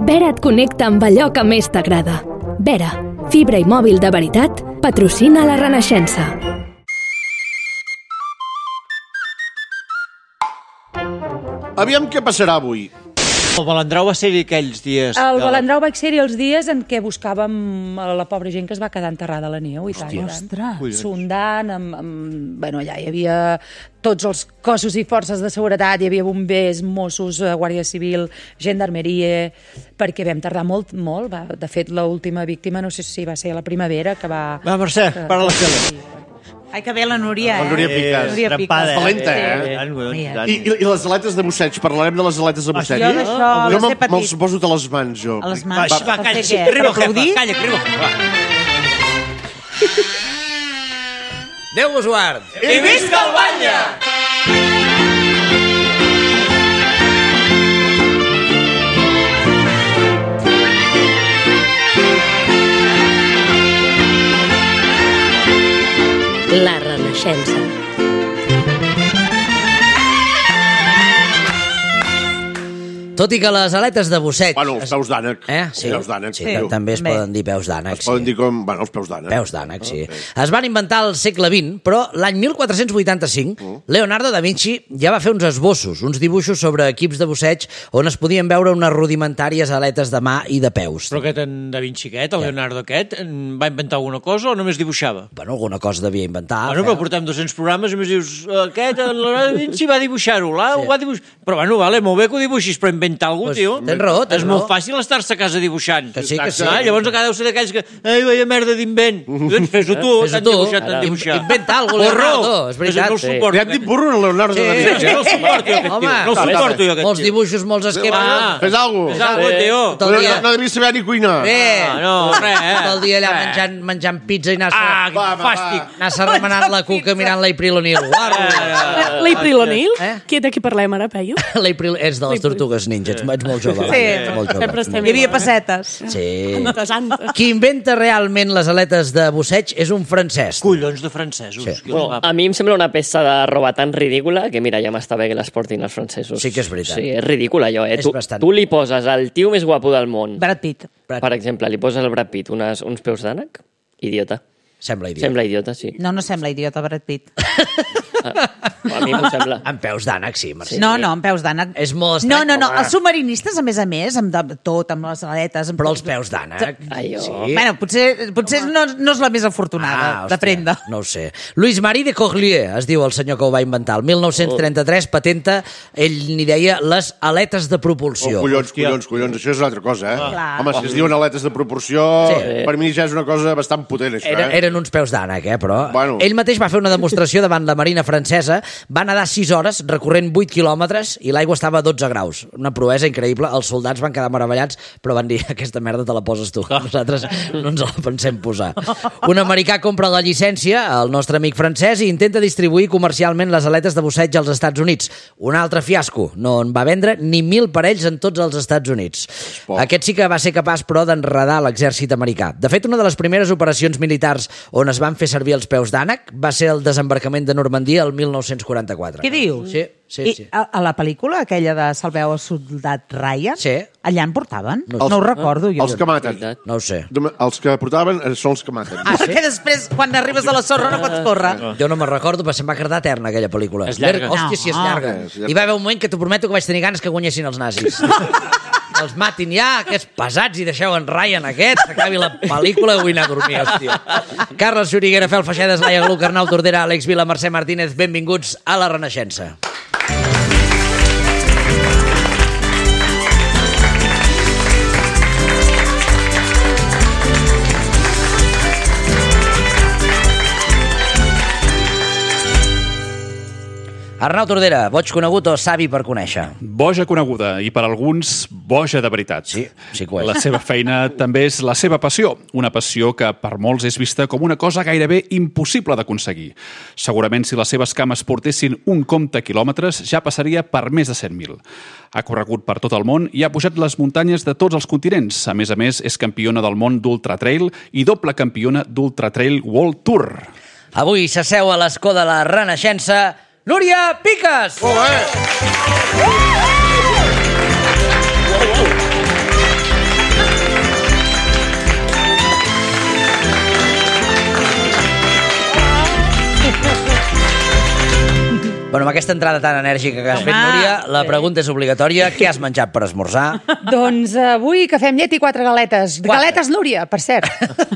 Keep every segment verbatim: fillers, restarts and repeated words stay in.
Vera et connecta amb allò que més t'agrada. Vera, fibra i mòbil de veritat, patrocina la Renaixença. Aviam què passarà avui. El Balandrau va ser-hi aquells dies. El Balandrau va ser-hi els dies en què buscàvem a la pobra gent que es va quedar enterrada a la neu. I tant, Ostres. sondant, amb, amb, bueno, allà hi havia tots els cossos i forces de seguretat, hi havia bombers, Mossos, Guàrdia Civil, Gendarmeria, perquè vam tardar molt, molt. Va, de fet, l'última víctima, no sé si va ser la primavera, que va... Va, Mercè, que, para la tele. Ai, que bé la Núria, eh? La Núria Picas. Núria Picas. Valenta, eh? I, i, I les aletes de busseig, parlarem de les aletes de busseig. Jo d'això, Jo les he me'ls petit. poso a les mans, jo. A les mans. Va, va, Per calla, fer sí, què? arriba, Per aplaudir? calla, arriba. Va. Déu vos guard! I visca el Batlle! La Renaixença. Tot i que les aletes de busseig... Bueno, els peus d'ànec. Eh? Sí, Peus d'ànec. sí, també es També. poden dir peus d'ànec. Es poden dir com... Bueno, els peus d'ànec. Peus d'ànec, sí. Es van inventar al segle vint, però l'any mil quatre-cents vuitanta-cinc Leonardo da Vinci ja va fer uns esbossos, uns dibuixos sobre equips de busseig on es podien veure unes rudimentàries aletes de mà i de peus. Però aquest en Da Vinci aquest, el Leonardo aquest, en va inventar alguna cosa o només dibuixava? Bueno, alguna cosa devia inventar. Bueno, però portem dos-cents programes i més dius, aquest, el Leonardo da Vinci va dibuixar-ho, là, ho va dibuixar... Però bueno, vale, molt bé que ho dibuixis, però inventar alguna cosa, Pues, tio. tens raó, tens És molt raó. fàcil estar-se a casa dibuixant. Que sí, que sí. Ah, llavors encara deu ser d'aquells que... Ai, veia merda d'invent. Doncs fes-ho tu, Fes-ho t'han tu. dibuixat, t'han Ara. dibuixat. Inventa alguna cosa, Leonardo, és veritat. No el Sí. suporto. Li hem dit burro a Leonardo Sí. da Sí, Vinci. no el suporto, jo, aquest Home, tio. No el suporto, jo, aquest molts tio. dibuixos, molts esquemes. Ah. Fes alguna Fes cosa. alguna cosa, tio. Tot el No, dia... no devies saber ni cuinar. Bé, Ah, no, res, eh. tot el dia allà Res. menjant, menjant pizza i anar-se Ah, Va, va, quin fàstic. anar-se remenant la cuca mirant l'April O'Neil. L'April O'Neil? Eh? Qui de qui parlem ara, Peyu? L'April és de les Tortugues Ninja, ets, ets molt jove. Sí. Ets molt jove. Sempre estem Hi havia igual, eh? pessetes. Sí. Antes, antes. Qui inventa realment les aletes de busseig és un francès. Collons de francesos. Sí. Sí. Bueno, a mi em sembla una peça de roba tan ridícula que, mira, ja m'està bé que les portin els francesos. Sí que és veritat. Sí, és ridícula, allò, eh? És Tu, bastant. tu li poses al tio més guapo del món, Brad Pitt. per exemple, li poses al Brad Pitt unes, uns peus d'ànec, idiota. Sembla idiota. Sembla idiota, sí. No, no sembla idiota, Brad Pitt. A mi m'ho sembla. Amb peus d'ànec, sí, Mercè. No, no, amb peus d'ànec. És molt No, estrany. no, no, Home. els submarinistes, a més a més, amb de, tot, amb les aletes... Amb Però els peus d'ànec. Ai, oh. Sí. Bueno, potser, potser no, no és la més afortunada Ah, de prenda. No ho sé. Louis Marie de Corlier, es diu el senyor que ho va inventar. El mil nou-cents trenta-tres patenta, ell n'hi deia les aletes de Oh, propulsió. collons, collons, collons, això és una altra cosa, eh? Clar. Home, si es diuen aletes de proporció, Sí. per mi ja és una cosa bastant potent, això, Era, eh? eren uns peus d'ànec, eh, però... Bueno. Ell mateix va fer una demostració davant la marina francesa, va nedar sis hores, recorrent vuit quilòmetres, i l'aigua estava a dotze graus. Una proesa increïble. Els soldats van quedar meravellats, però van dir, aquesta merda te la poses tu. Nosaltres no ens la pensem posar. Un americà compra la llicència, el nostre amic francès, i intenta distribuir comercialment les aletes de busseig als Estats Units. Un altre fiasco. No en va vendre ni mil parells en tots els Estats Units. poc. Aquest sí que va ser capaç, però, d'enredar l'exèrcit americà. De fet, una de les primeres operacions militars on es van fer servir els peus d'ànec va ser el desembarcament de Normandia el mil nou-cents quaranta-quatre. Què dius? Sí, sí, I sí. a, a la pel·lícula, aquella de Salveu el soldat Ryan, Sí. allà en portaven? No No, sé. ho recordo jo. Els que maten. Veritat. No ho sé. Els que portaven eh, són els que maten. Ah, perquè després, quan arribes a la sorra, no pots córrer. Jo no me'n recordo, però se'm va quedar eterna aquella pel·lícula. És llarga. Hòstia, si és No. llarga. És llarga. Hi va haver un moment que t'ho prometo que vaig tenir ganes que guanyessin els nazis. Els matin ja, aquests pesats, i deixeu en Ryan aquest, s'acabi la pel·lícula i vull anar a dormir, hòstia. Carles Xuriguera, Fel Feixedes, Laia Gluc, Arnau Tordera, Àlex Vila, Mercè Martínez, benvinguts a La Renaixença. Arnau Tordera, boig conegut o savi per conèixer? Boja coneguda i per alguns boja de veritat. Sí, sí que ho és. La seva feina també és la seva passió, una passió que per molts és vista com una cosa gairebé impossible d'aconseguir. Segurament si les seves cames portessin un compte quilòmetres ja passaria per més de cent mil. Ha corregut per tot el món i ha pujat les muntanyes de tots els continents. A més a més, és campiona del món d'Ultratrail i doble campiona d'Ultratrail World Tour. Avui s'asseu a l'escó de la Renaixença Núria Picas! Molt bé! amb aquesta entrada tan enèrgica que has fet, Núria, la pregunta és obligatòria. Què has menjat per esmorzar? Doncs avui cafè amb llet i quatre galetes. Quatre. Galetes, Núria, per cert.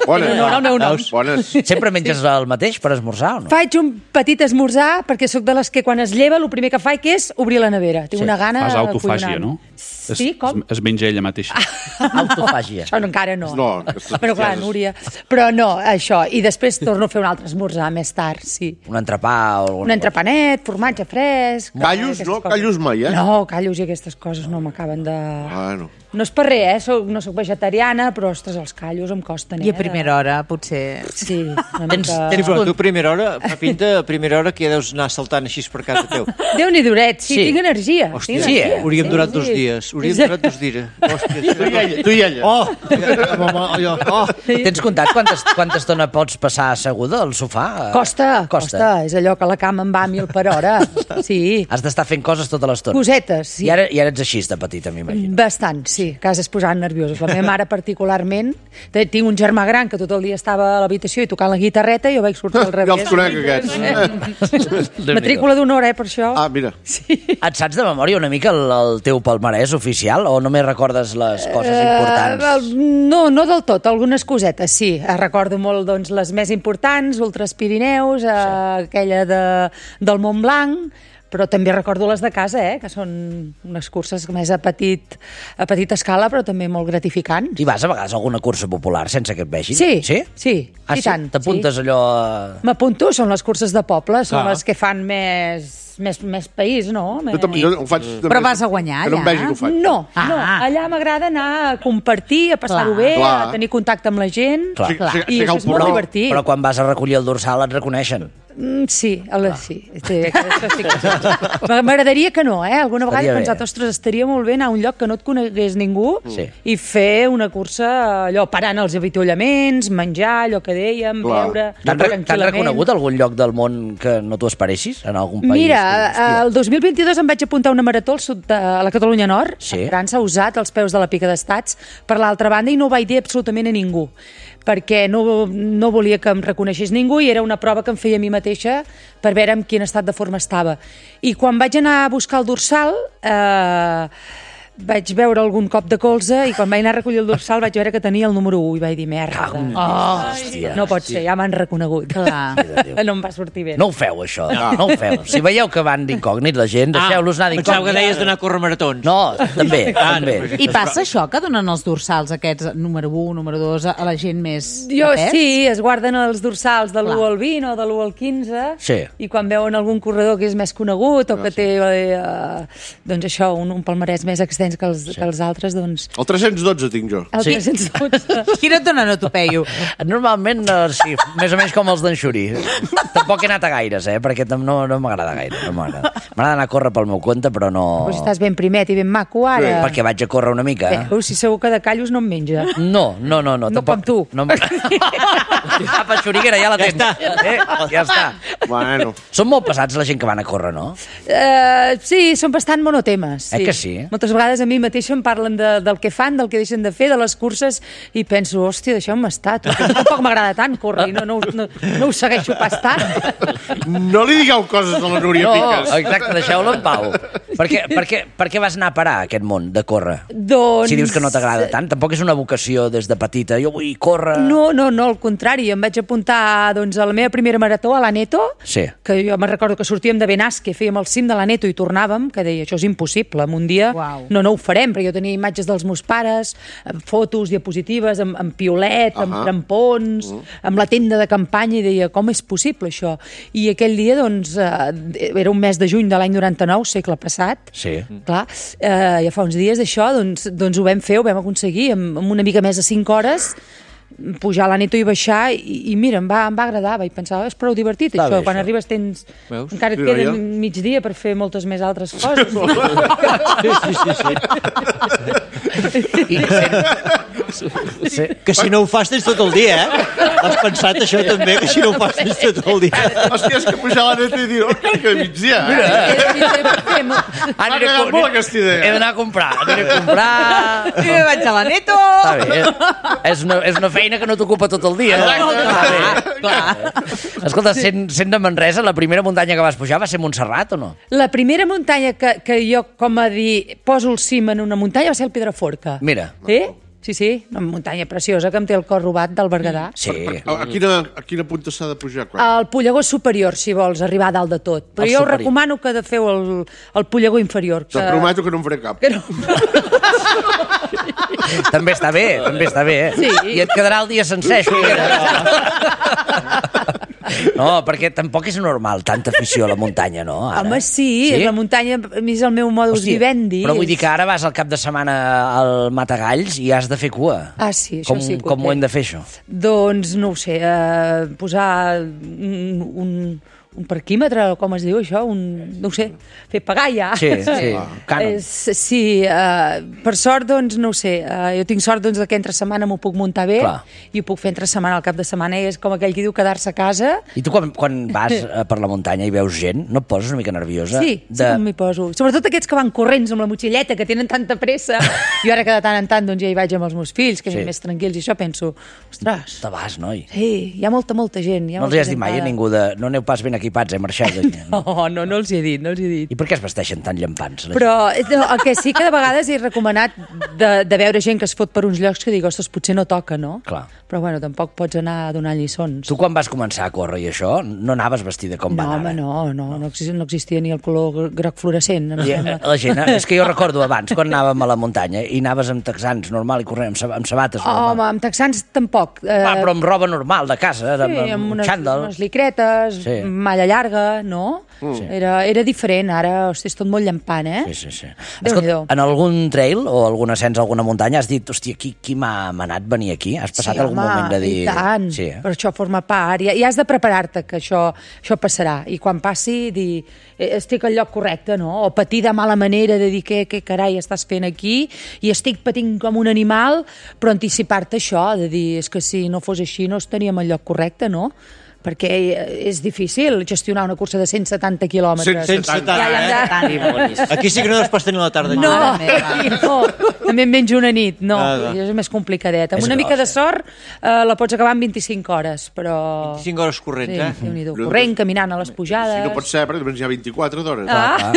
Bones. No, no, no, no. Bones. Sempre menges el mateix per esmorzar o no? Faig un petit esmorzar perquè sóc de les que quan es lleva el primer que faig que és obrir la nevera. Tinc Sí. una gana Fas autofàgia, collonant. no? Sí, com? Es, es menja ella mateixa. Autofàgia. Això no, encara no. No, aquestes Però clar, coses. Núria... Però no, això. I després torno a fer un altre esmorzar més tard, sí. Un entrepà o alguna Un entrepanet, formatge fresc... Callos, aquestes no? coses. Callos mai, eh? No, callos i aquestes coses no m'acaben de... Bueno. No és per res, eh? Soc, no sóc vegetariana, però, ostres, els callos em costen, eh? I a primera hora, potser... Sí, una Tens- mica... Sí, però tu a primera hora, fa pinta a primera hora que ja deus anar saltant així per casa teu. Déu-n'hi duret, sí, Sí. tinc energia. Hòstia, tinc sí, energia. eh? Hauríem durat Sí, dos sí. dies. Hauríem durat dos dies. Hòstia, Tu i ella. Tu i ella. Oh! Home, allò, oh! Tens comptat quanta, quanta estona pots passar asseguda al sofà? Costa, Costa. costa, És allò que la cama em va a mil per hora. Sí. Has d'estar fent coses tota l'estona. Cosetes, sí. I ara, I ara ets així de petita, m'imagino. Bastant, sí, que has es posant nerviosos. La meva mare particularment, té- tinc un germà gran que tot el dia estava a l'habitació i tocant la guitarreta i jo vaig sortir al Ja revés. els conec, aquests. Matrícula d'honor, eh, per això. Ah, mira. Et saps de memòria una mica el, el teu palmarès oficial o només recordes les coses importants? Eh, el- no, no del tot, algunes cosetes, sí. Eh, Recordo molt doncs, les més importants, Ultras Pirineus, eh, aquella de, del Montblanc, però també recordo les de casa, eh, que són unes curses més a, petit, a petita escala, però també molt gratificants. I vas a vegades a alguna cursa popular sense que et vegin? Sí, Sí? sí, Ah, i sí? tant. T'apuntes sí. allò... a- M'apunto, són les curses de poble, són Clar. les que fan més, més, més país, no? Jo també jo ho faig també. Però vas a guanyar, Que no em allà? vegi que ho faig. No, Ah. no, allà m'agrada anar a compartir, a passar-ho Clar. bé, Clar. a tenir contacte amb la gent, Clar. Sí, sí, i sí, això és molt però- divertit. Però quan vas a recollir el dorsal et reconeixen. Mm, sí, el, sí, sí, això sí que... M'agradaria que no, eh? Alguna vegada Estaria he pensat, bé. ostres, estaria molt bé anar a un lloc que no et conegués ningú Sí. i fer una cursa, allò, parant els avituallaments, menjar, allò que dèiem, Clar. beure, T'han, re- t'han tranquil·lament. reconegut algun lloc del món que no t'ho esperessis? En algun país? Mira, Hòstia. el dos mil vint-i-dos em vaig apuntar a una marató al sud de a la Catalunya Nord, Sí. a França, usat, als peus de la Pica d'Estats, per l'altra banda, i no ho vaig dir absolutament a ningú, perquè no, no volia que em reconeixés ningú i era una prova que em feia a mi mateixa per veure en quin estat de forma estava. I quan vaig anar a buscar el dorsal... Eh, vaig veure algun cop de colze i quan vaig anar a recollir el dorsal vaig veure que tenia el número u i vaig dir, merda, Oh, hòstia. no pot ser, ja m'han reconegut. Clar. No em va sortir bé. No ho feu, això. No, no ho feu. Si veieu que van d'incògnit la gent, deixeu-los anar Pensava que d'incògnit. deies d'anar a córrer maratons. No, també, Ah, no, també. però- I passa això, que donen els dorsals aquests, número u, número dos, a a la gent més Jo de pes? sí, es guarden els dorsals de l'u Clar. al vint o de l'u al quinze Sí. i quan veuen algun corredor que és més conegut o que té eh, doncs això, un, un palmarès més extens que els, sí. que els altres, doncs El tres-cents dotze tinc jo. el Sí. tres-cents dotze. Quina et donen a tu, Peyu? Normalment, eh, sí, més o menys com els d'en Xuri. Tampoc he anat a gaires, eh, perquè tam- no, no m'agrada gaire. No m'agrada. M'agrada anar a córrer pel meu compte, però no... Pues estàs ben primet i ben maco ara. Perquè vaig a córrer una mica. Veus, si segur que de callos no em menja. No, no, no. No, No tampoc, com tu. No, Apa, Xuriguera, ja la tens. Ja està. Eh? Ja està. Bueno. Són molt pesats la gent que van a córrer, no? Uh, sí, són bastant monotemes. Sí. Eh que sí? Moltes vegades a mi mateixa em parlen de, del que fan, del que deixen de fer, de les curses, i penso, hòstia, deixeu-me estar. Tu, que tampoc m'agrada tant córrer, i no, no, no, no ho segueixo pas tant. No li digueu coses a la Núria No, Piques. exacte, deixeu-lo en pau. Per què, per, què, per què vas anar a parar a aquest món de córrer? Doncs... Si dius que no t'agrada tant, tampoc és una vocació des de petita. Jo vull córrer... No, no, no, al contrari, em vaig apuntar doncs, a la meva primera marató, a l'Aneto, Sí. que jo me'n recordo que sortíem de Benasque, fèiem el cim de l'Aneto i tornàvem, que deia, això és impossible, en un dia Uau. no, no ho farem, perquè jo tenia imatges dels meus pares, amb fotos, diapositives, amb, amb piolet, amb Ahà. crampons, amb la tenda de campanya, i deia, com és possible això? I aquell dia, doncs, eh, era un mes de juny de l'any noranta-nou, segle passat, Sí. clar, eh, ja fa uns dies d'això, doncs, doncs ho vam fer, ho vam aconseguir, amb, amb una mica més de cinc hores, pujar a l'Aneto i baixar, i, i mira, em va, em va agradar, vaig pensar, oh, és prou divertit, Està això, bé, quan això. arribes tens... Veus? Encara et Sí, queda veia? mig dia per fer moltes més altres coses. Sí, sí, sí. sí. I sent, Sí. Que si no ho fas tens tot el dia, eh? Has pensat això també, que si no ho fas tens tot el dia. Hòstia, és que pujar a la neta i dir, oh, cal que migdia. Mira, M'ha agradat molt aquesta idea. He d'anar a comprar, aniré a comprar... I me vaig a la Neto. Està bé. És una, és una feina que no t'ocupa tot el dia. Clar, clar. Escolta, sent, sent de Manresa, la primera muntanya que vas pujar va ser Montserrat o no? La primera muntanya que, que jo, com a dir, poso el cim en una muntanya va ser el Pedraforca. Mira. Sí? Sí, sí, una muntanya preciosa que em té el cor robat del Berguedà. Sí. A, a, quina, a quina punta s'ha de pujar? Quan? El Pollegó superior, si vols, arribar a dalt de tot. Però El jo us superior. recomano que de feu el, el Pollegó inferior. Que... Te'n prometo que no em faré cap. Que no... També està bé, també està bé. Sí. I et quedarà el dia sencer, això. No, perquè tampoc és normal tanta afició a la muntanya, no? Ara. Home, sí, sí, la muntanya a mi és el meu modus Hòstia, vivendi. però vull dir que ara vas al cap de setmana al Matagalls i has de fer cua. Ah, sí, això com, sí que ho Com ho té. hem de fer, això? Doncs, no ho sé, eh, posar un, un, un parquímetre, o com es diu això? Un, no ho sé, fer pagar ja. Sí, sí, cànon. És, sí, eh, per sort, doncs, no ho sé, eh, jo tinc sort doncs, que entre setmana m'ho puc muntar bé. Clar. I ho puc fer entre setmana, al cap de setmana, i és com aquell que diu quedar-se a casa. I tu quan, quan vas eh, per la muntanya i veus gent, no et poses una mica nerviosa? Sí, sí que m'hi poso. Sobretot aquests que van corrents amb la motxilleta, que tenen tanta pressa. Jo ara que de tant en tant doncs, ja hi vaig amb els meus fills, que Sí. sí. més tranquils, i això penso, ostres, Te vas, noi. sí, hi ha molta, molta gent. Hi ha No els molta hi has dit gent mai a para. ningú de... No aneu pas ben equipats, eh, marxeu. No, no, no els hi he dit, no els hi he dit. I per què es vesteixen tan llampants? la gent? Però no, el que sí que de vegades he recomanat de, de veure gent que es fot per uns llocs que dic, ostres, potser no toca, no? Clar. Però bueno, tampoc pots anar donant lliçons. Tu quan vas començar a córrer i això, no anaves vestida com No, van home, ara? no, no, no existia, no existia ni el color groc fluorescent. Em I, sembla. eh, la gent, eh, és que jo recordo abans, quan anàvem a la muntanya, i anaves amb texans normal i corrent, amb, sab- amb sabates normal. Home, amb texans tampoc. Eh, Va, però amb roba normal de casa, sí, amb, amb amb unes, xandall. unes licretes, Sí. malla llarga, no? Mm. Era, era diferent, ara, hosti, és tot molt llampant, eh? Sí, sí, sí. Déu-n'hi-do. Escolta, en algun trail o algun ascens a alguna muntanya has dit, hòstia, qui, qui m'ha manat venir aquí? Has passat sí, algun home, moment de dir... i tant, Sí, eh? però això forma part, i, i has de preparar-te que això, això passarà, i quan passi dir, eh, estic al lloc correcte, no? O patir de mala manera de dir què, què carai estàs fent aquí, i estic patint com un animal, però anticipar-te això, de dir, és que si no fos així no estaríem al lloc correcte, no? Perquè és difícil gestionar una cursa de cent setanta quilòmetres. cent setanta, Ja, ja, eh? ja. Aquí sí que no es pots tenir la tarda. No, Mare meva. aquí no, també en menjo una nit, no, Ah, va. és més complicadet. Amb És una gros, mica de eh? sort eh, la pots acabar en vint-i-cinc hores, però... vint-i-cinc hores corrents, Sí, eh? Déu-n'hi-do. Corrent, caminant a les pujades... Si no pot ser, perquè només hi ha vint-i-quatre d'hores. Ah,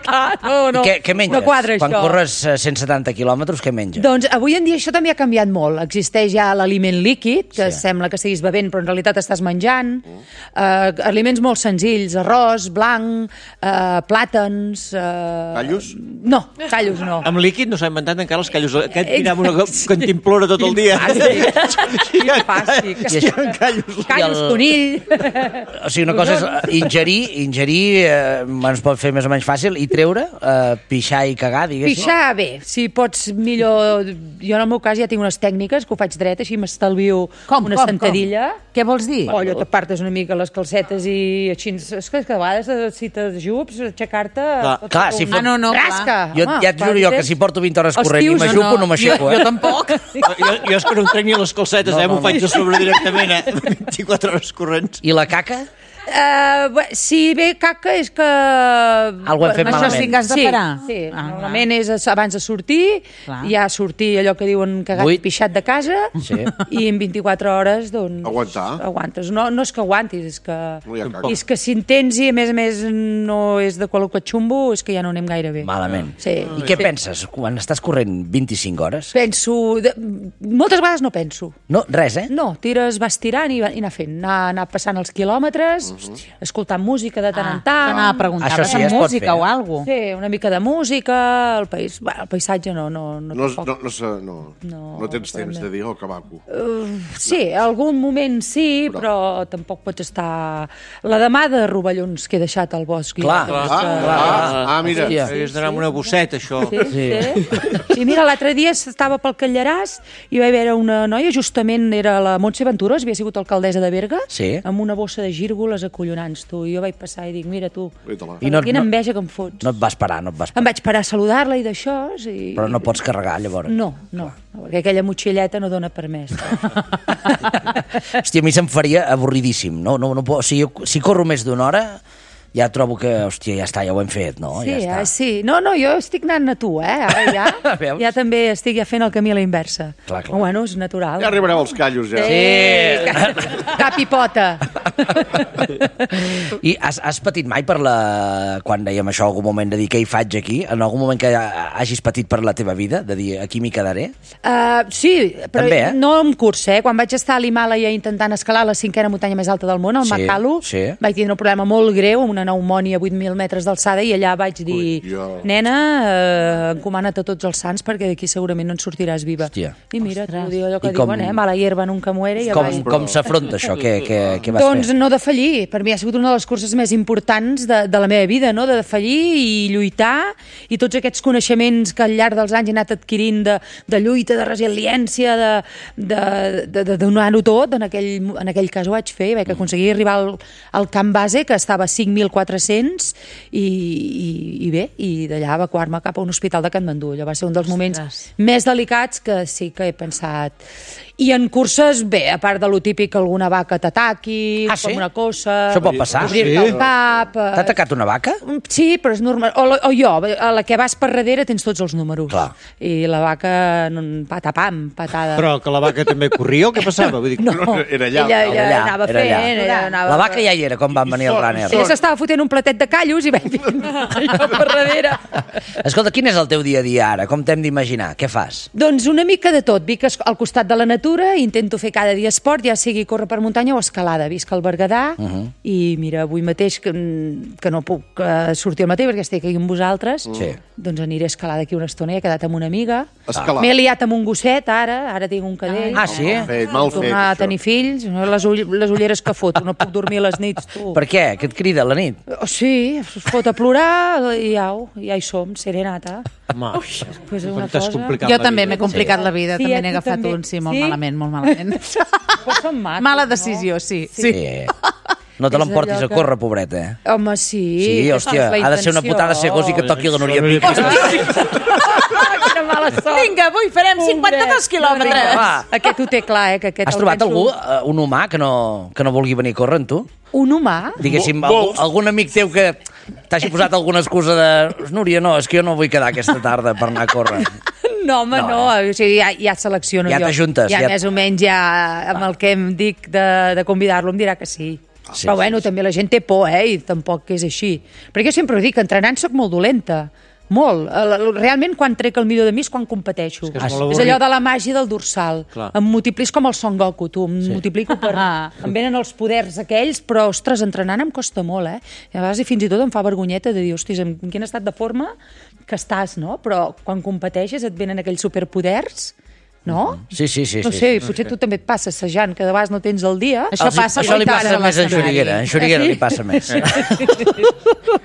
clar, no, no, I què, què menges? no quadra Quan això. corres eh, cent setanta quilòmetres, què menges? Doncs avui en dia això també ha canviat molt. Existeix ja l'aliment líquid, que Sí. sembla que estiguis bevent, però en realitat estàs menjant. Uh, aliments molt senzills, arròs, blanc, uh, plàtans... Uh... Callos? No, callos no. Amb líquid no s'ha inventat encara els callos. Aquest tira amb una cantimplora tot el dia. Quin fàstic. I això- Callos. Callos, el- conill... O sigui, una cosa és eh, ingerir, ingerir eh, ens pot fer més o menys fàcil, i treure, eh, pixar i cagar, diguéssim. Pixar, bé, si pots millor... Jo en el meu cas ja tinc unes tècniques que ho faig dret, així m'estalvio Com, una com, sentadilla. com? Què vols dir? O allò t'apartes una mica les calcetes i així... És que a vegades si t'ajups, aixecar-te... Clar, pot clar, fer si un- fot- Ah, no, no, clar. Rasca! Jo, home, ja et juro jo que si porto vint hores Els corrent i tios, m'ajupo, no m'aixeco, jo, eh? jo tampoc. Jo, jo és que no em trec ni les calcetes, No, eh? no, M'ho faig no. a sobre directament, eh? vint-i-quatre hores corrents. I la caca? Uh, bé, si ve caca és que... Algú hem fet Això malament. sí que has de Sí, parar. sí, Ah, normalment és abans de sortir, Clar. ja sortir allò que diuen cagat Vuit. i pixat de casa, Sí. i en vint-i-quatre hores, doncs... Aguantar. Aguantes. No, no és que aguantis, és que... No hi ha caca. I és que si en tens i a més a més no és de qualque xumbo, és que ja no anem gaire bé. Malament. Sí. I què penses quan estàs corrent vint-i-cinc hores? Penso... De... Moltes vegades no penso. No, res, eh? No, tires, vas tirant i, va- i anar fent, anar, anar passant els quilòmetres, escoltant música de tant en tant. Anava a preguntar, Això vas sí, amb es pot música fer. o alguna cosa? Sí, una mica de música, el, país, bueno, el paisatge no, no, no, No, tampoc. no, no, se- no, No, no tens però temps no. de dir, oh, que maco. Uh, sí, algun moment sí, però, però tampoc pots estar... La demà de rovellons que he deixat al bosc. Clar, ja, Ah, ah, ah, mira. Hòstia. Hagués d'anar amb una bosseta, això. Sí, sí. sí. sí mira, l'altre dia estava pel Callaràs i va haver una noia, justament era la Montse Venturós, havia sigut alcaldessa de Berga, Sí. amb una bossa de gírgoles coses acollonants, tu. I jo vaig passar i dic, mira tu, I no, quina no, enveja que em fots. no et vas parar, no et vas parar. Em vaig parar a saludar-la i d'això. I... Però no pots carregar, llavors. No, no, no, perquè aquella motxilleta no dona permès. Hòstia, a mi se'm faria avorridíssim. No, no, no, puc- si, jo, si corro més d'una hora, ja trobo que, hòstia, ja està, ja ho hem fet, no? Sí, ja està. eh, sí. No, no, jo estic anant a tu, eh? Ara ja, Veus? ja també estic ja fent el camí a la inversa. Clar, clar. Bueno, és natural. Ja arribareu als callos, ja. Sí. Cap i pota. I has, has patit mai per la... Quan dèiem això, algun moment de dir què hi faig aquí? En algun moment que hagis patit per la teva vida? De dir, aquí m'hi quedaré? Uh, sí, però També, eh? no en curs, eh? Quan vaig estar a l'Himàlaia intentant escalar la cinquena muntanya més alta del món, el Sí, Makalu, sí. vaig tindre un problema molt greu, una pneumònia a vuit mil metres d'alçada, i allà vaig dir, Collons. nena, uh, encomana't a tots els sants perquè d'aquí segurament no en sortiràs viva. Hòstia. I mira, tu diu allò I que com- diuen, eh? Mala hierba nunca muere. I Com, avall. com s'afronta això? Què, què, què vas Doncs fer? no defallir. Per mi ha sigut una de les curses més importants de, de la meva vida, no? De defallir i lluitar, i tots aquests coneixements que al llarg dels anys he anat adquirint de, de lluita, de resiliència, de, de, de, de donar-ho tot, en aquell, en aquell cas ho vaig fer, vaig aconseguir arribar al, al camp base, que estava a cinc mil quatre-cents, i, i, i bé, i d'allà evacuar-me cap a un hospital de Katmandú. Allò va ser un dels moments més delicats que sí que he pensat. I en curses, bé, a part de lo típic, alguna vaca t'ataqui, Ah, sí? com una cosa... Això pot passar? Obrir-te el cap... eh, T'ha atacat una vaca? Sí, però és normal. O, la- o jo, a la que vas per darrere tens tots els números. Clar. I la vaca, no, patapam, patada. Però que la vaca també corria o què passava? Vull dir, No, Era allà, ella, era ella allà, anava era allà. fent, ella anava... La vaca ja hi era, com van venir els runners. Ella s'estava fotent un platet de callos i vaig fent allò per darrere. Escolta, quin és el teu dia a dia ara? Com t'hem d'imaginar? Què fas? Doncs una mica de tot. Vic es- al costat de la natura, intento fer cada dia esport, ja sigui córrer per muntanya o escalada. Visc al Berguedà Uh -huh. i mira, avui mateix que, que no puc uh, sortir al matí perquè estic aquí amb vosaltres, Sí. doncs aniré a escalar d'aquí una estona. He quedat amb una amiga. Escalar. M'he liat amb un gosset, ara. Ara tinc un cadell. Ah, sí? Mal fet, mal fet, Tornar a això. tenir fills. Les, ull les ulleres que foto. No puc dormir a les nits, tu. Per què? Que et crida a la nit? Oh, sí, es fot a plorar i au, ja hi som, serenata. home, Pues és una t'has cosa... complicat Jo la també vida. m'he complicat la vida, Sí, també a n'he tu agafat també. un, sí, molt Sí? malament, molt malament. Però són macos, Mala no? decisió, sí. sí. Sí. No te És l'emportis allò a que- córrer, pobreta, eh? Home, sí. Sí, hòstia, és la ha de ser una intenció. putada ser gos i que toqui la Núria Pic. Quina mala sort. Vinga, avui farem cinquanta-dos quilòmetres. Va. Aquest ho té clar, eh? Que aquest Has el trobat penso- algú, eh, un humà, que no, que no vulgui venir a córrer amb tu? Un humà? Diguéssim, Mo- algú, molts. algun amic teu que t'hagi posat alguna excusa de... Núria, no, és que jo no vull quedar aquesta tarda per anar a córrer. No, home, No, no. O sigui, ja, ja selecciono Ja jo. t'ajuntes, Ja, ja- més o menys ja amb el que em dic de, de convidar-lo em dirà que sí. Sí, Però sí, bueno, sí. també la gent té por, eh? I tampoc és així. Perquè jo sempre ho dic, entrenant sóc molt dolenta. Molt. El- el- Realment, quan trec el millor de mi és quan competeixo. És que és És, molt és avorrit. allò de la màgia del dorsal. Clar. Em multiplis com el Son Goku, tu. Em multiplico per... Ah. Em venen els poders aquells, però, ostres, entrenant em costa molt, eh? I a vegades i fins i tot em fa vergonyeta de dir, hòsties, en quin estat de forma que estàs, no? Però quan competeixes et venen aquells superpoders, no? Sí, sí, sí. No sí, sé, sí. potser tu també et passa assajant, que de vegades no tens el dia. Això passa Això li quan passa estàs a més en l'escenari. Xuriguera. En Xuriguera li passa més.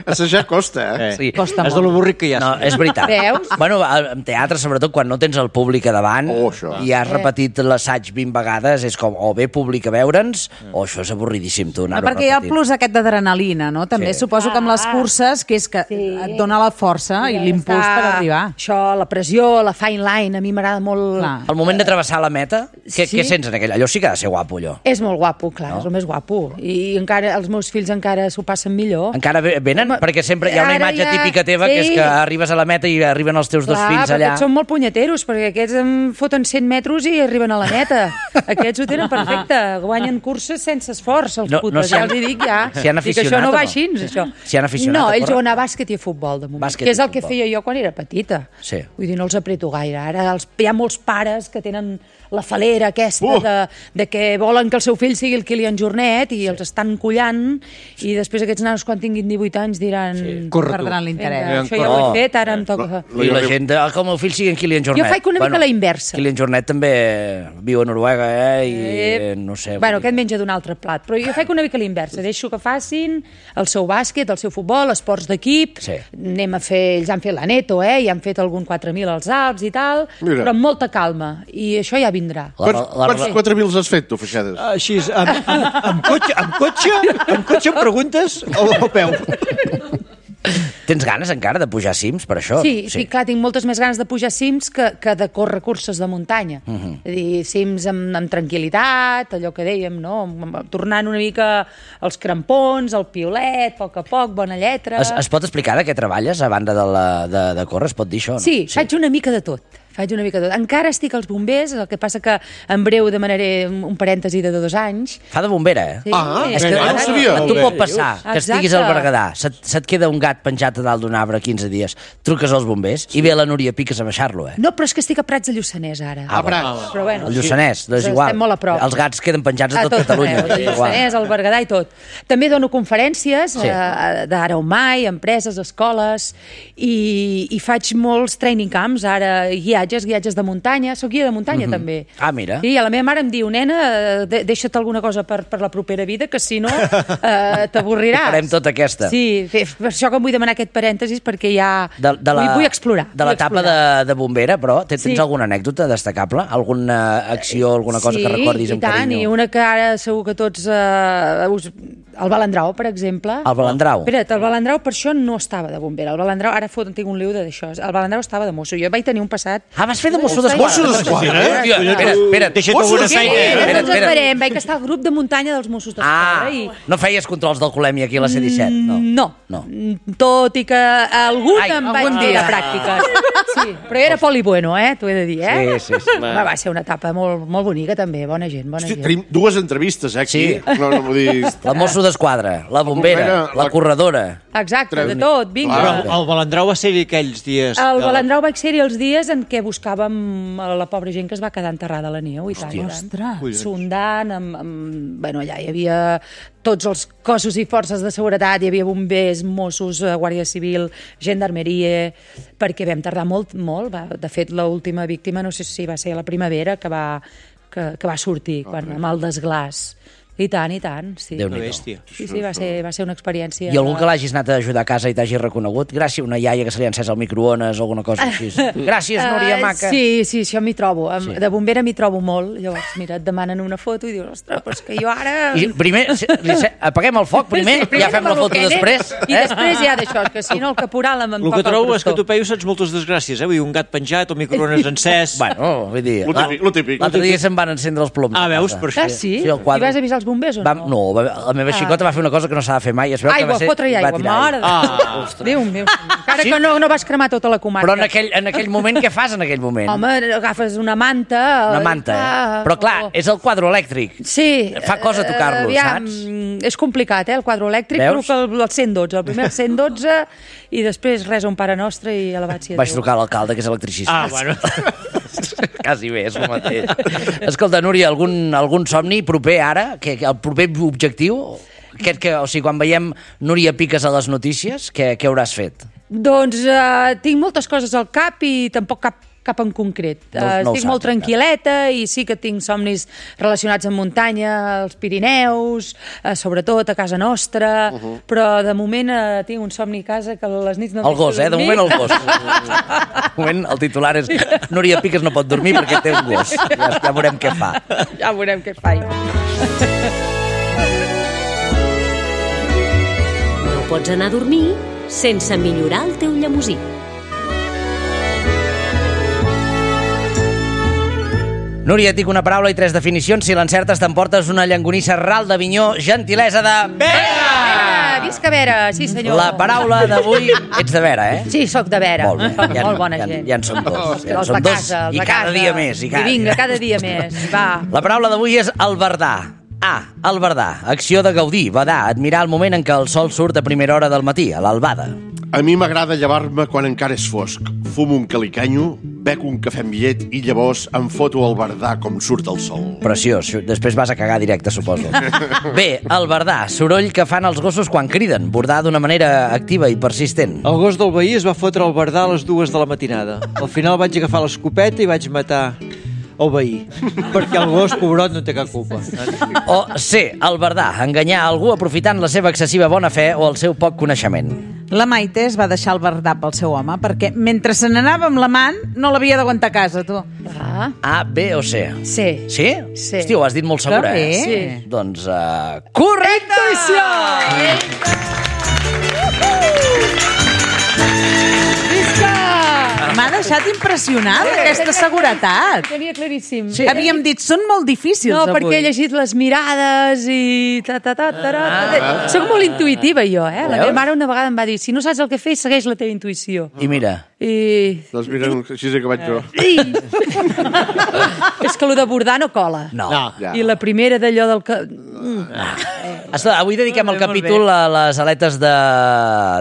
Assajar costa, eh? Eh, Sí. Costa és de molt. l'avorrit que hi ha. No, és veritat. Veus? Bueno, en teatre, sobretot, quan no tens el públic a davant Oh, això. i has repetit l'assaig vint vegades, és com o bé públic a veure'ns o això és avorridíssim, tu, No, anar-ho perquè hi ha el repetint. plus aquest d'adrenalina, no? També Sí. suposo que amb les curses, que és que Sí. et dona la força i Ja l'impuls està. per arribar. Això, la pressió, la fine line, a mi m'agrada molt... Clar. El moment de travessar la meta, què, Sí. què sents en aquell? Allò sí que ha de ser guapo, allò. És molt guapo, clar, No? no? És el més guapo. I encara els meus fills encara s'ho passen millor. Encara ve- venen? Home, Perquè sempre hi ha una ara imatge ja- típica teva sí. que és que arribes a la meta i arriben els teus dos Clar, fills però allà. aquests són molt punyeteros, perquè aquests em foten cent metres i arriben a la meta. Aquests ho tenen perfecte, guanyen curses sense esforç, els No- putes, no s'hi ja han- els hi dic ja. s'hi han Dic, aficionat això no o va no? així, això. S'hi han aficionat No, a ells córrer? juguen a bàsquet i a futbol, de moment, Bàsquet que és i el que futbol. feia jo quan era petita. Sí. Vull dir, no els apreto gaire. Ara els, hi ha molts pares que tenen la falera aquesta Uh! de, de que volen que el seu fill sigui el Kilian Jornet i els estan collant i després aquests nanos quan tinguin divuit anys diran... Sí. Corre tu. Perdran Vinga, l'interès. això ja ho he fet, ara em toca... I la gent, ah, que el meu fill sigui en Kilian Jornet. Jo faig una mica la inversa. Kilian Jornet també viu a Noruega, eh? I Eh, no sé... Bueno, vull dir- aquest menja d'un altre plat, però jo faig una mica l'inversa. Deixo que facin el seu bàsquet, el seu futbol, esports d'equip, Sí. anem a fer... Ells han fet la Neto, eh? I han fet algun quatre mil als Alps i tal, Mira. però amb molta calma. i això ja vindrà. Quants, quants quatre mil has fet, tu, Feixades? Així, amb, amb, amb, cotxe, amb cotxe, amb cotxe em preguntes o a peu? Tens ganes encara de pujar cims per això? Sí, sí, clar, tinc moltes més ganes de pujar cims que, que de córrer curses de muntanya. Uh -huh. És a dir, cims amb, amb tranquil·litat, allò que dèiem, no? Tornant una mica als crampons, al piolet, a poc a poc, bona lletra... Es, es pot explicar de què treballes a banda de, la, de, de córrer? Es pot dir això? No? Sí, sí, faig una mica de tot. Faig una mica de tot. Encara estic als bombers, el que passa que en breu demanaré un parèntesi de dos anys. Fa de bombera, eh? Sí. Ah, és que no ho sabia. A tu pot passar que Exacte. estiguis al Berguedà, se't, se't queda un gat penjat a dalt d'un arbre quinze dies, truques als bombers sí. i ve la Núria Piques a baixar-lo, eh? No, però és que estic a Prats de Lluçanès, ara. Ah, Prats. Però bueno, El Lluçanès, doncs sí. igual. Estem molt a prop. Els gats queden penjats a tot, tot Catalunya. Arreu, el Lluçanès, el Berguedà i tot. També dono conferències Sí. eh, d'ara o mai, empreses, escoles, i, i faig molts training camps, ara guiatges, guiatges de muntanya, soc guia de muntanya Mhm. també. Ah, mira. I a la meva mare em diu, nena, de, deixa't alguna cosa per, per la propera vida, que si no eh, t'avorriràs. Farem tota aquesta. Sí, fe- per això que em vull demanar aquest parèntesis, perquè ja De, de la, vull, vull explorar. De vull l'etapa explorar. de, de bombera, però tens, tens Sí. alguna anècdota destacable? Alguna acció, alguna cosa sí, que recordis amb i tant, carinyo? i una que ara segur que tots... Eh, us... El Balandrau, per exemple. El Balandrau? Espera't, el Balandrau per això no estava de bombera. El Balandrau, ara fot, tinc un liu d'això. El Balandrau estava de mosso. Jo vaig tenir un passat... Ah, vas fer de mosso d'esquadra? Mosso d'esquadra, eh? Hòstia, espera, espera. Deixa't Mossos alguna d'Esquadra. feina. Eh, Espera, doncs espera. esperem. Vaig estar al grup de muntanya dels Mossos d'Esquadra. Ah, i... no feies controls d'alcoholèmia aquí a la C disset? No. No. No. Tot i que algun Ai, em vaig algun dir dia. de pràctiques. Sí, però era poli bueno, eh? T'ho he de dir, eh? Sí, sí, sí. Va, va ser una etapa molt, molt bonica, també. Bona gent, bona Hosti, gent. tenim dues entrevistes, eh, aquí. Sí. No, no, vull dir... La mosso d'esquadra, la bombera, bombera, la la- corredora. Exacte, de tot, vinga. Clar. Però el Balandrau va ser aquells dies... El de- Balandrau vaig ser-hi els dies en què buscàvem a la pobra gent que es va quedar enterrada a la neu, i tant, i tant. Ostres. Sondant, amb, amb... Bueno, allà hi havia tots els cossos i forces de seguretat, hi havia bombers, Mossos, eh, Guàrdia Civil, Gendarmeria, perquè vam tardar molt, molt. Va, de fet, l'última víctima, no sé si va ser a la primavera, que va, que, que va sortir, quan, amb el desglàs. I tant, i tant, sí. Déu-n'hi-do. bèstia. Sí, sí, va ser, va ser una experiència... I algú que l'hagis anat a ajudar a casa i t'hagi reconegut? Gràcies a una iaia que se li ha encès el microones o alguna cosa així. Gràcies, Núria Eh, Maca. Sí, sí, això m'hi trobo. Sí. De bombera m'hi trobo molt. Llavors, mira, et demanen una foto i dius, ostres, però és que jo ara... I primer, si- li se- apaguem el foc primer, Sí, ja fem la foto m'aboquene, després. I eh? després ja d'això, que si no el caporal em, em El que toca el trobo és que crostó. tu, Peyu, saps moltes desgràcies, eh? Vull dir, un gat penjat, o microones encès... Bueno, vull dir... Lo típic, lo típic. L'altre dia se'n van encendre els ploms. Ah, a veus, casa. per això. Ah, sí? Sí, el quadre. I vas avisar els bombers o no? Vam, no, va, la meva xicota va fer una cosa que no s'ha de fer mai. Es veu que Aigua, va ser, fotre-hi va aigua, tirar mare de Ah, Déu. Déu meu. Encara Sí? que no, no vas cremar tota la comarca. Però en aquell, en aquell moment, què fas en aquell moment? Home, agafes una manta... Una eh, manta, eh? clar, Però clar, o- és el quadre elèctric. Sí. Fa cosa tocar-lo, eh, aviam, saps? És complicat, eh, el quadre elèctric. Veus? Truca el, el cent dotze, el primer el cent dotze, i després res un Pare Nostre i elevat sia Vaig Déu. trucar a l'alcalde, que és electricista. Ah, bueno. Quasi bé, és el mateix. Escolta, Núria, algun, algun somni proper ara? Que, que el proper objectiu? Aquest que, o sigui, quan veiem Núria Piques a les notícies, què, què hauràs fet? Doncs uh, tinc moltes coses al cap i tampoc cap cap en concret. No- Uh, no ho estic saps, molt tranquil·leta i sí que tinc somnis relacionats amb muntanya, als Pirineus, uh, sobretot a casa nostra, uh -huh. però de moment uh, tinc un somni a casa que a les nits no em El gos, deixa eh? De dormir. moment el gos. De moment el titular és Núria Piques no pot dormir perquè té un gos. Ja, ja veurem què fa. Ja veurem què fa. No pots anar a dormir sense millorar el teu llemosí. Núria, et dic una paraula i tres definicions. Si l'encertes t'emportes una llangonissa ral d'Avinyó, gentilesa de... Vera! Visca Vera, sí senyor. La paraula d'avui... Ets de Vera, eh? Sí, sóc de Vera. Molt bé. Soc Ja, molt bona ja, gent. ja en som dos. Ja en Els som de dos casa, els i de cada casa. dia més. I, cada... I vinga, cada dia més. Va. La paraula d'avui és albardar. A. Albardar. Acció de gaudir, badar, admirar el moment en què el sol surt a primera hora del matí, a l'albada. A mi m'agrada llevar-me quan encara és fosc. Fumo un calicanyo, bec un cafè amb llet i llavors em foto al bardar com surt el sol. Preciós. Després vas a cagar directe, suposo. Bé, albardar. Soroll que fan els gossos quan criden. Bordar d'una manera activa i persistent. El gos del veí es va fotre al bardar a les dues de la matinada. Al final vaig agafar l'escopeta i vaig matar el veí, perquè el gos, pobrot, no té cap culpa. O C. Albardar. Enganyar algú aprofitant la seva excessiva bona fe o el seu poc coneixement. La Maite es va deixar el Bardà pel seu home perquè mentre se n'anava amb l'amant no l'havia d'aguantar a casa, tu. Ah. A, B o C? Sí. Sí? Sí. Hosti, ho has dit molt segura, Que eh? bé. Sí. Doncs, uh, correcte! M'ha deixat impressionat aquesta seguretat. Tenia claríssim. Sí. Havíem dit, són molt difícils No, avui. perquè he llegit les mirades i... Ta, ta, ta, ta, ta, ta. Soc molt intuïtiva, jo, eh? La meva mare una vegada em va dir, si no saps el que fer, segueix la teva intuïció. I mira. I... Doncs mira, així és que vaig jo. I... És que el de bordar no cola. No. No. Ja. I la primera d'allò del... Que... Escolta, avui dediquem el Molt bé, molt capítol a les aletes de,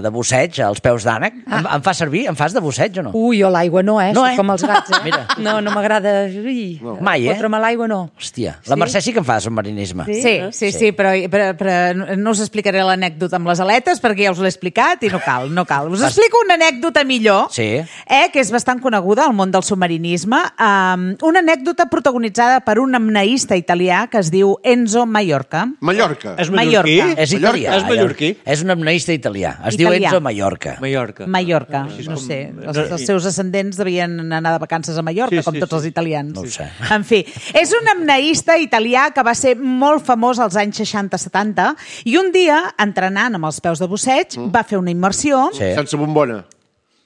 de busseig, als peus d'ànec. Ah. Em, em fa servir? Em fas de busseig o no? Ui, jo l'aigua no, eh? No, Soc eh? com els gats, eh? Mira. No, no m'agrada... Ui, Mai, eh? Fotre'm a l'aigua no. Hòstia, la Sí? Mercè sí que em fa de submarinisme. Sí, sí, sí, sí però, però, però no us explicaré l'anècdota amb les aletes perquè ja us l'he explicat i no cal, no cal. Us explico una anècdota millor, Sí. eh, que és bastant coneguda al món del submarinisme. Um, una anècdota protagonitzada per un apneista italià que es diu Enzo Mallorca. Mallorca. És mallorquí? Mallorca. És italià. És mallorquí? ja. És un apneista italià. Es diu Italià. Enzo Mallorca. Mallorca. Mallorca, no sé. Els, els seus ascendents devien anar de vacances a Mallorca, Sí, com sí, tots sí. els italians. No ho sé. En fi, és un apneista italià que va ser molt famós als anys seixanta setanta i un dia, entrenant amb els peus de busseig, va fer una immersió. Sí. Sense bombona.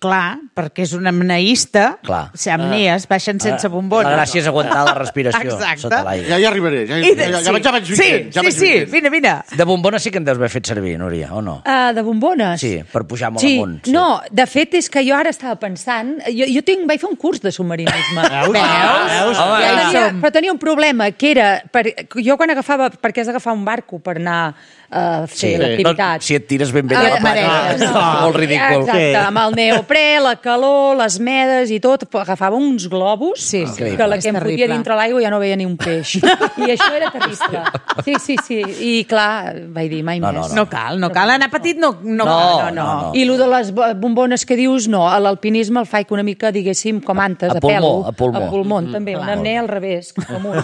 Clar, perquè és un apneista. Clar. Si apnees, baixen sense bombona. La gràcia és aguantar la respiració Exacte. sota l'aigua. Ja hi arribaré. Ja, I ja, de- ja, sí. ja, vaig- ja vaig Sí, fent, ja sí, vaig sí, fent. vine, vine. De bombona sí que en deus haver fet servir, Núria, o no? Uh, de bombones? Sí, per pujar molt sí. amunt. Sí. No, de fet és que jo ara estava pensant... Jo, jo tinc, vaig fer un curs de submarinisme. Veus? Veus? Home, Però ja tenia, som. però tenia un problema, que era... Per, jo quan agafava... Perquè has d'agafar un barco per anar a fer Sí. l'activitat. Si et tires ben bé de Ah, la plata. mereixes. No. Molt ridícul. Exacte, amb el neoprè, la calor, les medes i tot, agafava uns globus Sí, sí. que la És que em fotia terrible. dintre l'aigua ja no veia ni un peix. I això era terrible. Sí, sí, sí. I clar, vaig dir, mai No, més. no, No cal, no cal. Anar petit no, no, No, cal. no, no. I el de les bo- bombones que dius, no. A l'alpinisme el faig una mica, diguéssim, com antes, A a, pulmó, pèl. a pulmó. A pulmó, també. Un apnea al revés, cap amunt.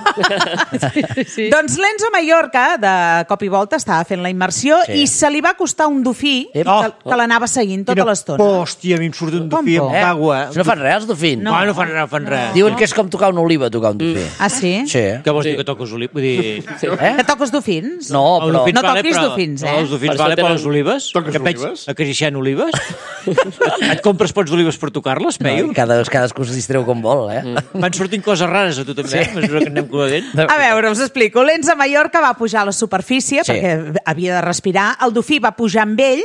Sí, sí, sí. Doncs l'Enzo Mallorca, de cop i volta, estava fent la immersió Sí. i se li va acostar un dofí Ep. que, que l'anava seguint tota l'estona. Hòstia, a mi em surt un Com dofí por? amb agua. No fan res, els dofins? No, no fan res, no fan res. Diuen que és com tocar una oliva, tocar un dofí. Ah, sí? Sí. Què vols dir que toques olives? Vull dir... Eh? Que toques dofins? No, Els però... dofins No vale, toquis però- dofins, eh? No, els dofins Per vale això per tenen- les olives. Toques Que veig olives? acariciant olives. Et compres pots d'olives per tocar-les, No, Peyu? cada, cadascú es distreu com vol, eh? Van sortint coses rares a tu també, a mesura que anem coneixent. A veure, us explico. L'Enzo Mallorca va pujar a la superfície Sí. perquè havia de respirar. El dofí va pujar amb ell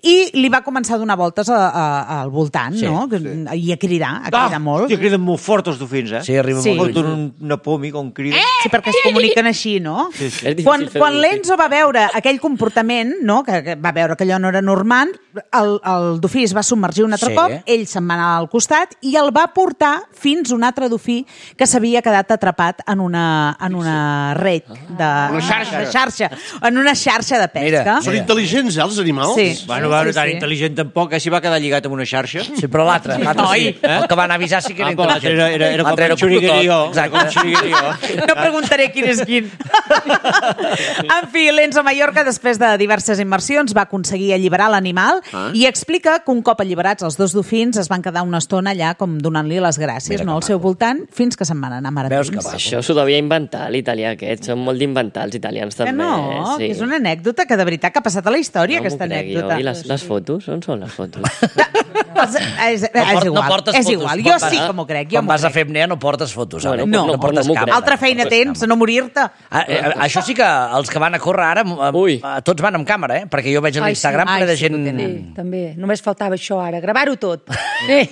i li va començar a donar voltes a, a, al voltant, Sí, no? I a cridar, a cridar molt. Hòstia, criden molt fort els dofins, eh? Sí, arriba Sí. molt Foten lluny. un- una poma com criden. Sí, perquè es comuniquen així, no? Sí, sí. És difícil Quan, fer quan un l'Enzo va veure aquell comportament, no? que, que va veure que allò no era normal, el, el dofí es va submergir un altre Sí. cop, ell se'n va anar al costat i el va portar fins a un altre dofí que s'havia quedat atrapat en una, en una red de, Una xarxa. de xarxa, en una xarxa de pesca. Mira, Són intel·ligents, eh, els animals? Sí. Bueno, va, Sí, tan sí. intel·ligent tampoc, eh? Si va quedar lligat amb una xarxa. Sí, però l'altre, l'altre Noi, sí. eh? El que van avisar sí que era Ah, però l'altre intel·ligent. era, era, era com L'altre un xuriguerío. tot. Exacte. Com un xuriguerío. No preguntaré quin és quin. En fi, l'Enzo Mallorca, després de diverses immersions, va aconseguir alliberar l'animal Ah. i explica que un cop alliberats els dos dofins es van quedar una estona allà com donant-li les gràcies, Mira que no, al seu voltant, fins que se'n van anar Veus que maratins. va. Això s'ho devia inventar l'italià aquest. Són molt d'inventar els italians Que també. no, sí. que és una anècdota que de veritat que ha passat a la història, No m'ho aquesta crec jo. anècdota. I les, les fotos? On són les fotos? Els- És, és, No, port, igual, no portes és fotos. igual. Quan Jo vas- sí que m'ho crec. Jo Quan m'ho vas a crec. fer apnea no portes fotos, Bueno, Àlex. no, no portes no m'ho càmera. crec. Altra feina tens, a no morir-te. Ah, eh, això sí que els que van a córrer ara, eh, Ui. eh, tots van amb càmera, eh? Perquè jo veig a Ai, l'Instagram sí. ple de Ai, sí, gent... ho tenen. Sí, també. Només faltava això ara, gravar-ho tot. Eh.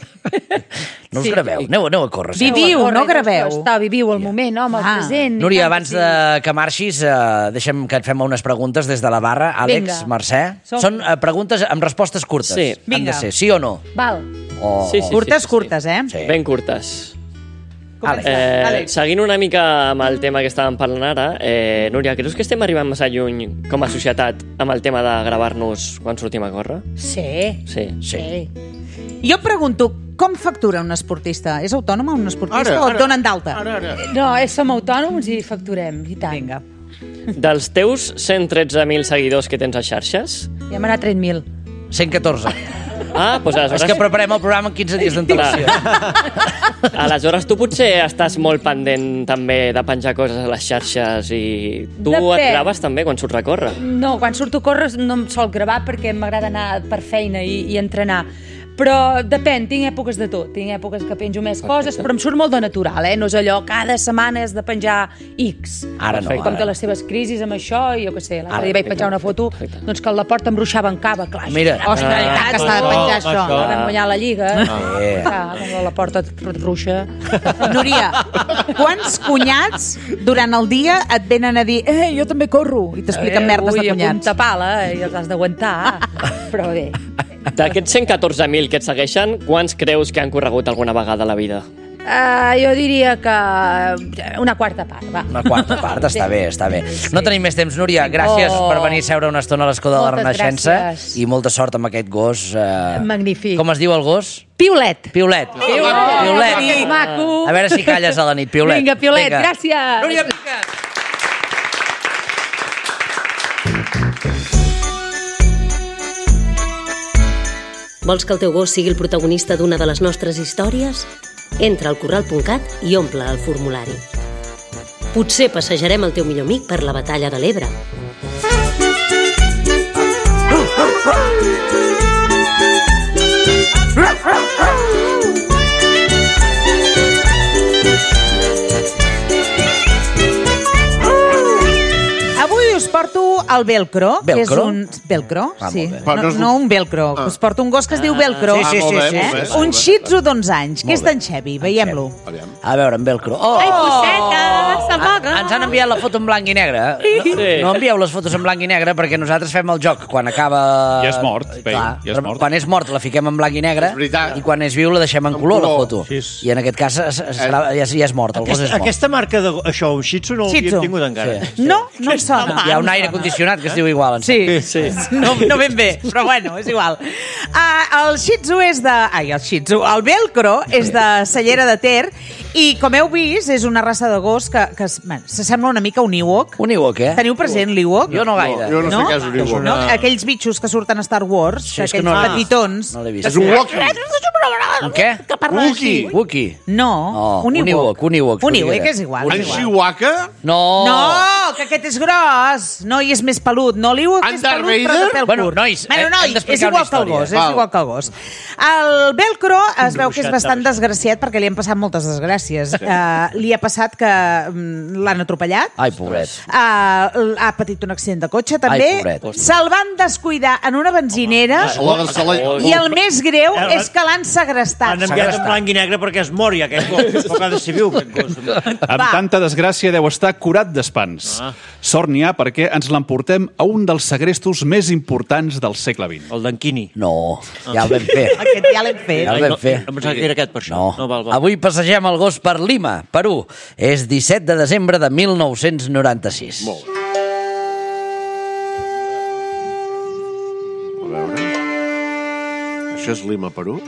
No us Sí. graveu, aneu, aneu a córrer. sí. Viviu, Corre, no graveu. Està, viviu el moment, home, el Ah. present. i Núria, tant abans sí. de que marxis, eh, deixa'm que et fem unes preguntes des de la barra. Àlex, Vinga. Mercè. Som- Són eh, preguntes amb respostes curtes. Sí. Han Vinga. de ser sí o no. Val. O... Sí, sí. Curtes, curtes, eh? Sí. Ben curtes. Àlex. Eh, Àlex. seguint una mica amb el tema que estàvem parlant ara, eh, Núria, creus que estem arribant massa lluny com a societat amb el tema de gravar-nos quan sortim a córrer? Sí. Sí. Sí. Jo pregunto, com factura un esportista? És autònom un esportista Ara, o et ara. donen d'alta? Ara, ara. No, eh, som autònoms i facturem, i tant. Vinga. Dels teus cent tretze mil seguidors que tens a xarxes, Ja hem anat trenta mil. cent catorze. Ah, doncs aleshores... És que preparem el programa en quinze dies d'antelació. Aleshores, tu potser estàs molt pendent també de penjar coses a les xarxes i tu Depèn. et graves també quan surts a córrer. No, quan surto a córrer no em sol gravar perquè m'agrada anar per feina i, i entrenar. Però depèn, tinc èpoques de tot. Tinc èpoques que penjo més coses, però em surt molt de natural, eh? No és allò, cada setmana has de penjar X. Ara no, Com ara que les seves crisis amb això, i jo què sé, l'altre Ara, dia vaig penjar una foto, doncs que la porta em ruixava en cava, clar. Mira. Ostres, i tant, que s'ha de penjar això. això. Vam guanyar la Lliga. Eh. Clar, quan la porta et ruixa. Núria, quants cunyats durant el dia et venen a dir eh, jo també corro, i t'expliquen merdes de Ui, a cunyats? punta pala, i els has d'aguantar. Però bé. D'aquests cent catorze mil que et segueixen, quants creus que han corregut alguna vegada a la vida? Uh, jo diria que una quarta part, va. Una quarta part, està bé, està bé. No tenim més temps, Núria. Gràcies Oh. per venir a seure una estona a l'escó de la Moltes Renaixença gràcies. i molta sort amb aquest gos. Eh... Magnífic. Com es diu el gos? Piulet. Piulet. Piulet. Piulet. Que maco. A veure si calles a la nit, Piulet. Vinga, Piulet, gràcies. Núria Picat. Vols que el teu gos sigui el protagonista d'una de les nostres històries? Entra al corral punt cat i omple el formulari. Potser passejarem el teu millor amic per la batalla de l'Ebre. Avui us porto el velcro, que és Velcro? un... Velcro, Ah, sí. molt bé. Però no No, és un- no un velcro. Us porto un gos que es diu velcro. Sí, sí, Ah, molt bé, sí, molt sí. bé, Eh? molt Un bé. shih tzu d'onze anys, que Molt és bé. d'en Xevi. Veiem-lo. Aviam. A veure, en velcro. Oh! Ai, posseta, s'amaga. Ens han enviat la foto en blanc i negre. No, Sí. no envieu les fotos en blanc i negre perquè nosaltres fem el joc quan acaba... Ja és mort, Pei, Clar, ja és però mort. Quan és mort la fiquem en blanc i negre És veritat. i quan és viu la deixem en En color, la color. foto. Sí, és- I en aquest cas es- es- serà, ja, és- ja és mort, el gos és Aquesta, mort. aquesta marca de... Això, un Shih Tzu no Shih l'havíem Tzu. tingut encara. Sí. No, no em sona. Hi ha un aire condicionat que es diu igual. em Sí, Sí. no, no ben bé, però bueno, és igual. Uh, el Shih Tzu és de... Ai, el Shih Tzu. El velcro és de Cellera de Ter i, com heu vist, és una raça de gos que, que es- bueno, s'assembla una mica a un Ewok. Un Ewok, eh? Teniu present l'Ewok? Jo no gaire. Jo no, No? sé què és un Ewok. No? Aquells bitxos que surten a Star Wars, Sí, és que aquells no- petitons. No l'he vist. És un Wookie. Un què? Wookie. Wookie. No, No, un un Ewok. Ewok, un Ewok, Un podria Ewok dir. és igual. En és igual. Chihuahua? No. No, que aquest és gros. No, i és més pelut. No, l'Ewok En és Darth pelut, però Vader? de pèl Bueno, curt. nois, bueno, hem nois, d'explicar és igual una que el història. gos, és Val. igual que el gos. El velcro es veu que és Dibuixat, bastant dibuixat. desgraciat perquè li han passat moltes desgràcies. Uh, li ha passat que mm, l'han atropellat. Ai, pobret. Uh, ha patit un accident de cotxe, també. Ai, pobret. Se'l van descuidar en una benzinera. La, se la, I el més greu Eh, és que l'han segrestat. Han enviat en blanc i negre perquè es mori aquest gos. Però que ha de ser viu, aquest gos. Amb Va. tanta desgràcia deu estar curat d'espans. Ah. Sort n'hi ha perquè ens l'emportem a un dels segrestos més importants del segle vint. El d'Anquini. No, ja el vam fer. Aquest ja l'hem fet. Ja el Ai, vam no, fer. no pensava que era aquest, per això. No. No, val, val. Avui passegem el gos per Lima, Perú. És disset de desembre de mil nou-cents noranta-sis. Molt bé. A veure... Això és Lima, Perú?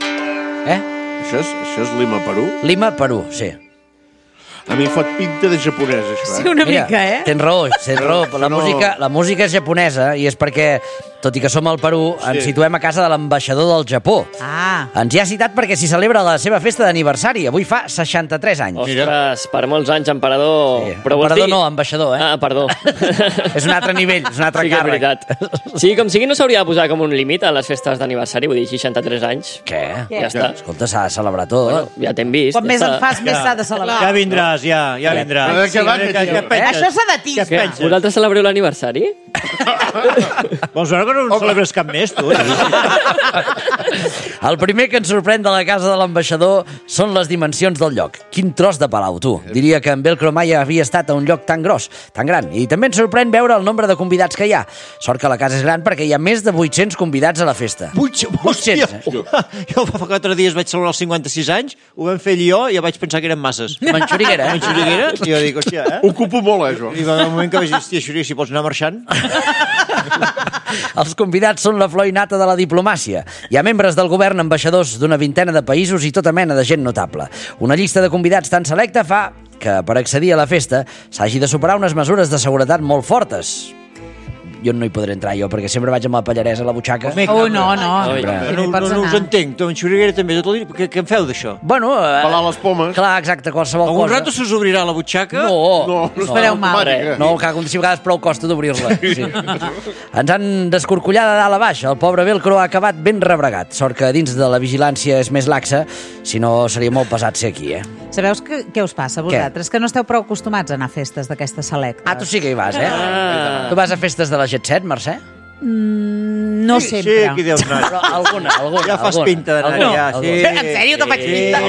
Eh? Això és, això és Lima, Perú? Lima, Perú, sí. A mi em fot pinta de japonès, això, eh? Sí, una mica, eh? Tens raó, tens raó. La, No. música, la música és japonesa i és perquè, tot i que som al Perú, ens Sí. situem a casa de l'ambaixador del Japó. Ah. Ens hi ha citat perquè s'hi celebra la seva festa d'aniversari. Avui fa seixanta-tres anys. Ostres, per molts anys, emperador... Sí. Però vols Emperador dir- no, ambaixador, eh? Ah, perdó. És un altre nivell, és un altre Sí que és càrrec. veritat. Sí, com sigui, no s'hauria de posar com un límit a les festes d'aniversari, vull dir, seixanta-tres anys. Què? Ja està. Escolta, s'ha de celebrar tot. Bueno, ja t'hem vist. Quan ja més està. en fas, més s'ha de celebrar. Ja vindràs, ja, ja vindràs. Però de què va, què, aquest què tio? penses? Això s'ha de dir. Què Què? penses? Vosaltres celebreu l'aniversari? Vols veure que no en celebres cap més, tu? El primer que ens sorprèn de la casa de l'ambaixador són les dimensions del lloc. Quin tros de palau, tu. Diria que en Velcro mai havia estat a un lloc tan gros, tan gran. I també ens sorprèn veure el nombre de convidats que hi ha. Sort que la casa és gran perquè hi ha més de vuit-cents convidats a la festa. Hòstia, jo fa quatre dies vaig celebrar els cinquanta-sis anys, ho vam fer jo i ja vaig pensar que eren masses. Manxuriguera, eh? Manxuriguera? I jo dic, hòstia, eh? Ocupo molt, eh, jo. I va haver un moment que vaig dir, hòstia, Xuri, si pots anar marxant. Els convidats són la flor innata de la diplomàcia. Hi ha membres del govern, ambaixadors d'una vintena de països i tota mena de gent notable. Una llista de convidats tan selecta fa que, per accedir a la festa, s'hagi de superar unes mesures de seguretat molt fortes. jo no hi podré entrar jo, perquè sempre vaig amb la pallaresa a la butxaca. Oh, no, no. No, no, no us entenc, tu en Xuriguera també, tot el dia, què, què en feu d'això? Bueno, eh, Pelar les pomes. clar, exacte, qualsevol Algun cosa. rato se us obrirà la butxaca? No, No, no, Us fareu mal. no, que si a vegades prou costa d'obrir-la. Sí. Ens han descorcollat de dalt a baix. El pobre velcro ha acabat ben rebregat. Sort que dins de la vigilància és més laxa, si no seria molt pesat ser aquí, eh? Sabeu que, què us passa a vosaltres? Que no esteu prou acostumats a anar a festes d'aquestes selectes. Ah, tu sí que hi vas, eh? Ah. Tu vas a festes de la Jet Set, Mercè? Mm, no Sí, sempre. sí, aquí deus anar. Però alguna, alguna. Ja fas alguna, pinta d'anar alguna, allà, alguna. sí. En sèrio, te faig pinta?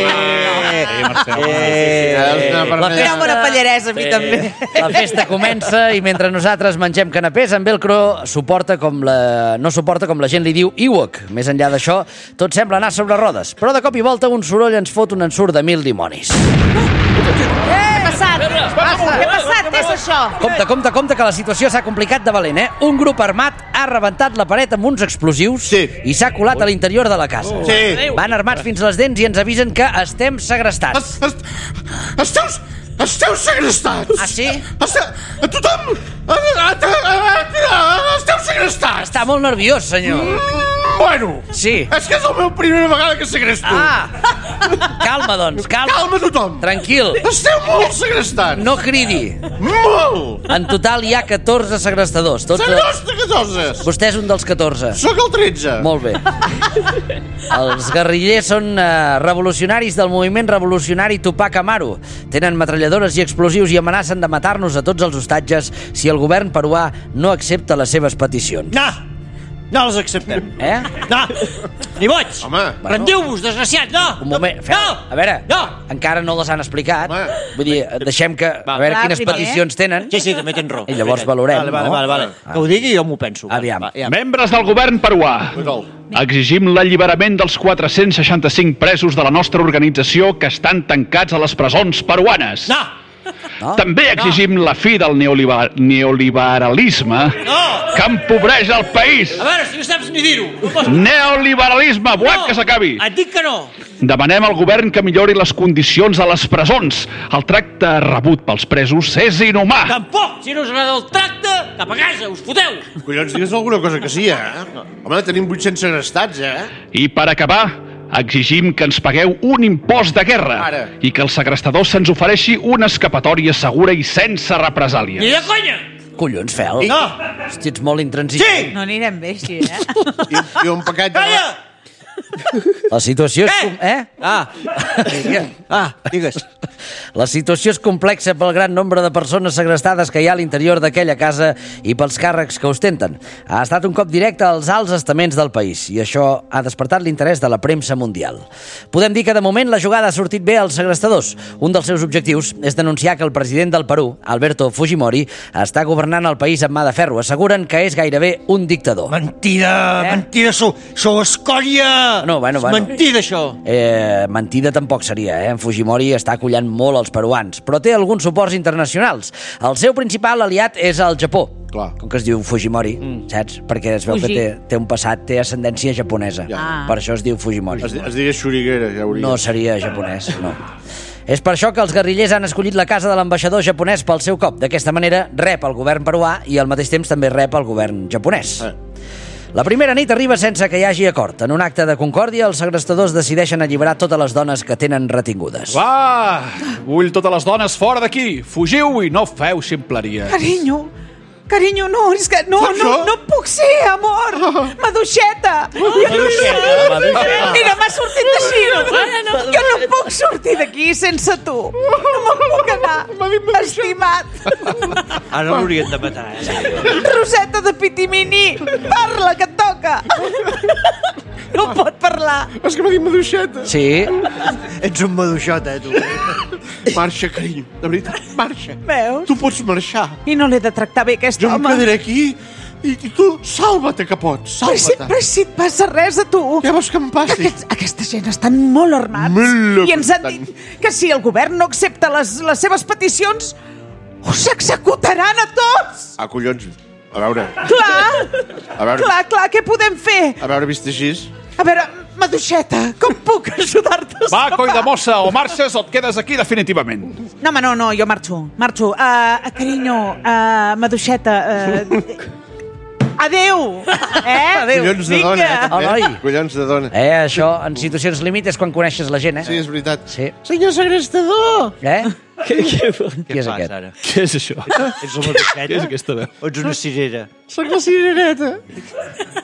Per Mira, bona pallaresa, a mi també. La festa comença i mentre nosaltres mengem canapés, en velcro suporta com la... no suporta com la gent li diu Ewok. Més enllà d'això, tot sembla anar sobre rodes. Però de cop i volta un soroll ens fot un ensurt de mil dimonis. Què ha passat? Què ha passat? Què és això? Compte, compte, compte, que la situació s'ha complicat de valent, eh? Un grup armat ha rebentat la paret amb uns explosius Sí. i s'ha colat a l'interior de la casa. Sí. Van armats fins les dents i ens avisen que estem segrestats. Es- es- Esteu... Esteu segrestats! Ah, sí? Esteu... A tothom... a- a- a- a- Esteu segrestats! Està molt nerviós, senyor. Bueno, Sí. és que és la meva primera vegada que segresto. Ah! Calma, doncs, calma. Calma tothom. Tranquil. Esteu molt segrestats. No cridi. Molt. En total hi ha catorze segrestadors. Tots... Segresto catorze. Vostè és un dels catorze. Soc el tretze. Molt bé. Els guerrillers són eh, revolucionaris del moviment revolucionari Tupac Amaru. Tenen metralladores i explosius i amenacen de matar-nos a tots els hostatges si el govern peruà no accepta les seves peticions. No, no les acceptem. Eh? No, ni boig. Home. Rendiu-vos, desgraciat, no. Un moment, Fel, No. a veure, No. encara no les han explicat. Home. Vull dir, deixem que... A veure Clar, quines primer. peticions tenen. Sí, sí, també tens raó. I llavors valorem, vale, vale, no? Vale, vale, Ah. Que ho digui i jo m'ho penso. Aviam. Va, ja. Membres del govern peruà, exigim l'alliberament dels quatre-cents seixanta-cinc presos de la nostra organització que estan tancats a les presons peruanes. No, No? També exigim la fi del neoliber neoliberalisme no. que empobreix el país. A veure, si no saps ni dir-ho. No pots... Neoliberalisme, volem que s'acabi. Et dic que no. Demanem al govern que millori les condicions a les presons. El tracte rebut pels presos és inhumà. Tampoc. Si no us agrada el tracte, cap a casa, us foteu. Collons, digues alguna cosa que sí, eh? Home, tenim vuit-cents segrestats, eh? I per acabar, exigim que ens pagueu un impost de guerra Ara. i que als segrestadors se'ns ofereixi una escapatòria segura i sense represàlies. Ni de conya. Collons, Fel. No. Hosti, ets molt intransigent. Sí. No anirem bé així, eh? I, i un paquet de... Calla. La situació és... Eh? com- Eh? Ah. Ah, digues. La situació és complexa pel gran nombre de persones segrestades que hi ha a l'interior d'aquella casa i pels càrrecs que ostenten. Ha estat un cop directe als alts estaments del país i això ha despertat l'interès de la premsa mundial. Podem dir que de moment la jugada ha sortit bé als segrestadors. Un dels seus objectius és denunciar que el president del Perú, Alberto Fujimori, està governant el país amb mà de ferro. Asseguren que és gairebé un dictador. Mentida, Eh? mentida, sou, sou escòria. No, bueno, És bueno. mentida, això. Eh, mentida tampoc seria, eh? En Fujimori està acollant molt els peruans, però té alguns suports internacionals. El seu principal aliat és el Japó. Clar. Com que es diu Fujimori, mm. saps? Perquè es veu Fuji. que té, té un passat, té ascendència japonesa. Ja. Ah. Per això es diu Fujimori. Es, es digués Xuriguera, ja hauria. No seria japonès, no. És per això que els guerrillers han escollit la casa de l'ambaixador japonès pel seu cop. D'aquesta manera rep el govern peruà i al mateix temps també rep el govern japonès. Eh. La primera nit arriba sense que hi hagi acord. En un acte de concòrdia, els segrestadors decideixen alliberar totes les dones que tenen retingudes. Va, vull totes les dones fora d'aquí. Fugiu i no feu ximpleries. Carinyo, carinyo, no, és que no, Saps no, això? no puc ser, amor. Maduixeta. Maduixeta. Mira, m'ha sortit així. Jo no puc sortir d'aquí sense tu. No me'n puc anar. Estimat. Ara l'haurien de matar, eh? Roseta de Pitimini, parla, que et toca. No pot parlar. És que m'ha dit maduixeta. Sí, Ets un maduixota, eh, tu. Marxa, carinyo. De veritat, marxa. Veus? Tu pots marxar. I no l'he de tractar bé, aquest Jo em home. quedaré aquí i, i tu salva-te que pots. Però si, Salva-te. però si et passa res a tu. Què vols que em passi? Aquests, aquesta gent estan molt armats. Molt I ens han estan. dit que si el govern no accepta les, les seves peticions, us executaran a tots. Ah, collons. A veure, Clar, a veure, clar, clar, què podem fer? a veure, vist així. A veure, Maduixeta, com puc ajudar-te a Va, coi de escapar? mossa, o marxes o et quedes aquí definitivament. No, home, no, no, jo marxo, marxo. Uh, carinyo, uh, Maduixeta, uh, Adéu! Eh? Adéu. Collons de dona, eh? Oh, noi. Collons de dona. Eh, això, en situacions límit és quan coneixes la gent, eh? Sí, és veritat. Sí. Senyor segrestador! Eh? Què, què, Qui és aquest? Ara? Què és això? Ets una boqueta? Què és aquesta veu? O ets una cirera? Soc la cirereta.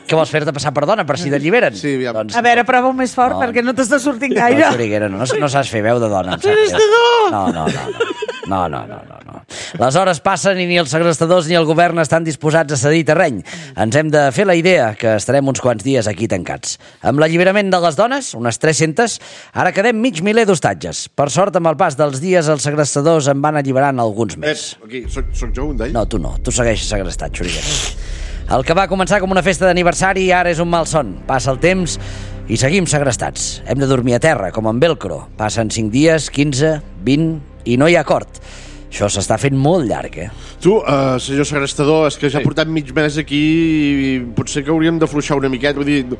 Què vols fer-te passar per dona, per si t'alliberen? Sí, aviam. Doncs, A veure, prova més fort, No. perquè no t'està sortint no, gaire. Xuriguera, no, no, no saps fer veu de dona. em sap greu. No, no, no, no. No, no, no, no, no. Les hores passen i ni els segrestadors ni el govern estan disposats a cedir terreny. Ens hem de fer la idea que estarem uns quants dies aquí tancats. Amb l'alliberament de les dones, unes tres-centes, ara quedem mig miler d'hostatges. Per sort, amb el pas dels dies, els segrestadors en van alliberant alguns més. Eh, aquí, soc, soc jo un d'ells? No, tu no. Tu segueixes segrestat, Xuriguera. El que va començar com una festa d'aniversari ara és un malson. Passa el temps i seguim segrestats. Hem de dormir a terra, com en velcro. Passen cinc dies, quinze, vint i no hi ha acord. Això s'està fent molt llarg, eh? Tu, uh, senyor segrestador, és que ja portem mig mes aquí i potser que hauríem d'afluixar una miqueta. Vull dir,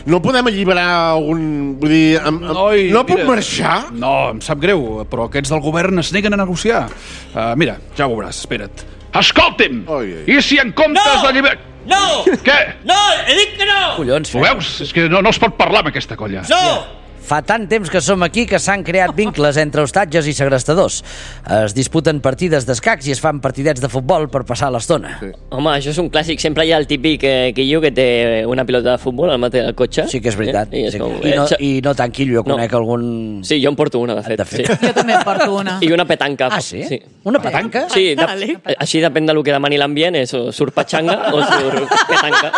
no podem alliberar algun... Vull dir, am, am, Noi, no pot mira. marxar? No, em sap greu, però aquests del govern es neguen a negociar. Uh, mira, ja ho veuràs, espera't. Escolti'm! Oi, oi. I si en comptes No! de lliber... No! Què? No, he dit que no! Collons, Ho veus? És que no, no es pot parlar amb aquesta colla. No! Fa tant temps que som aquí que s'han creat vincles entre hostatges i segrestadors. Es disputen partides d'escacs i es fan partidets de futbol per passar l'estona. Sí. Home, això és un clàssic. Sempre hi ha el típic eh, quillo que té una pilota de futbol al matí del cotxe. Sí que és veritat. Eh? I, és Sí, com, I, no, eh, I no tant quillo, jo No. conec algun... Sí, jo en porto una, de fet. De fet. Sí. Jo també en porto una. I una petanca. Ah, sí? sí. Una petanca? Sí, de, Vale. així depèn del que demani l'ambient, és o surt patxanga o surt petanca.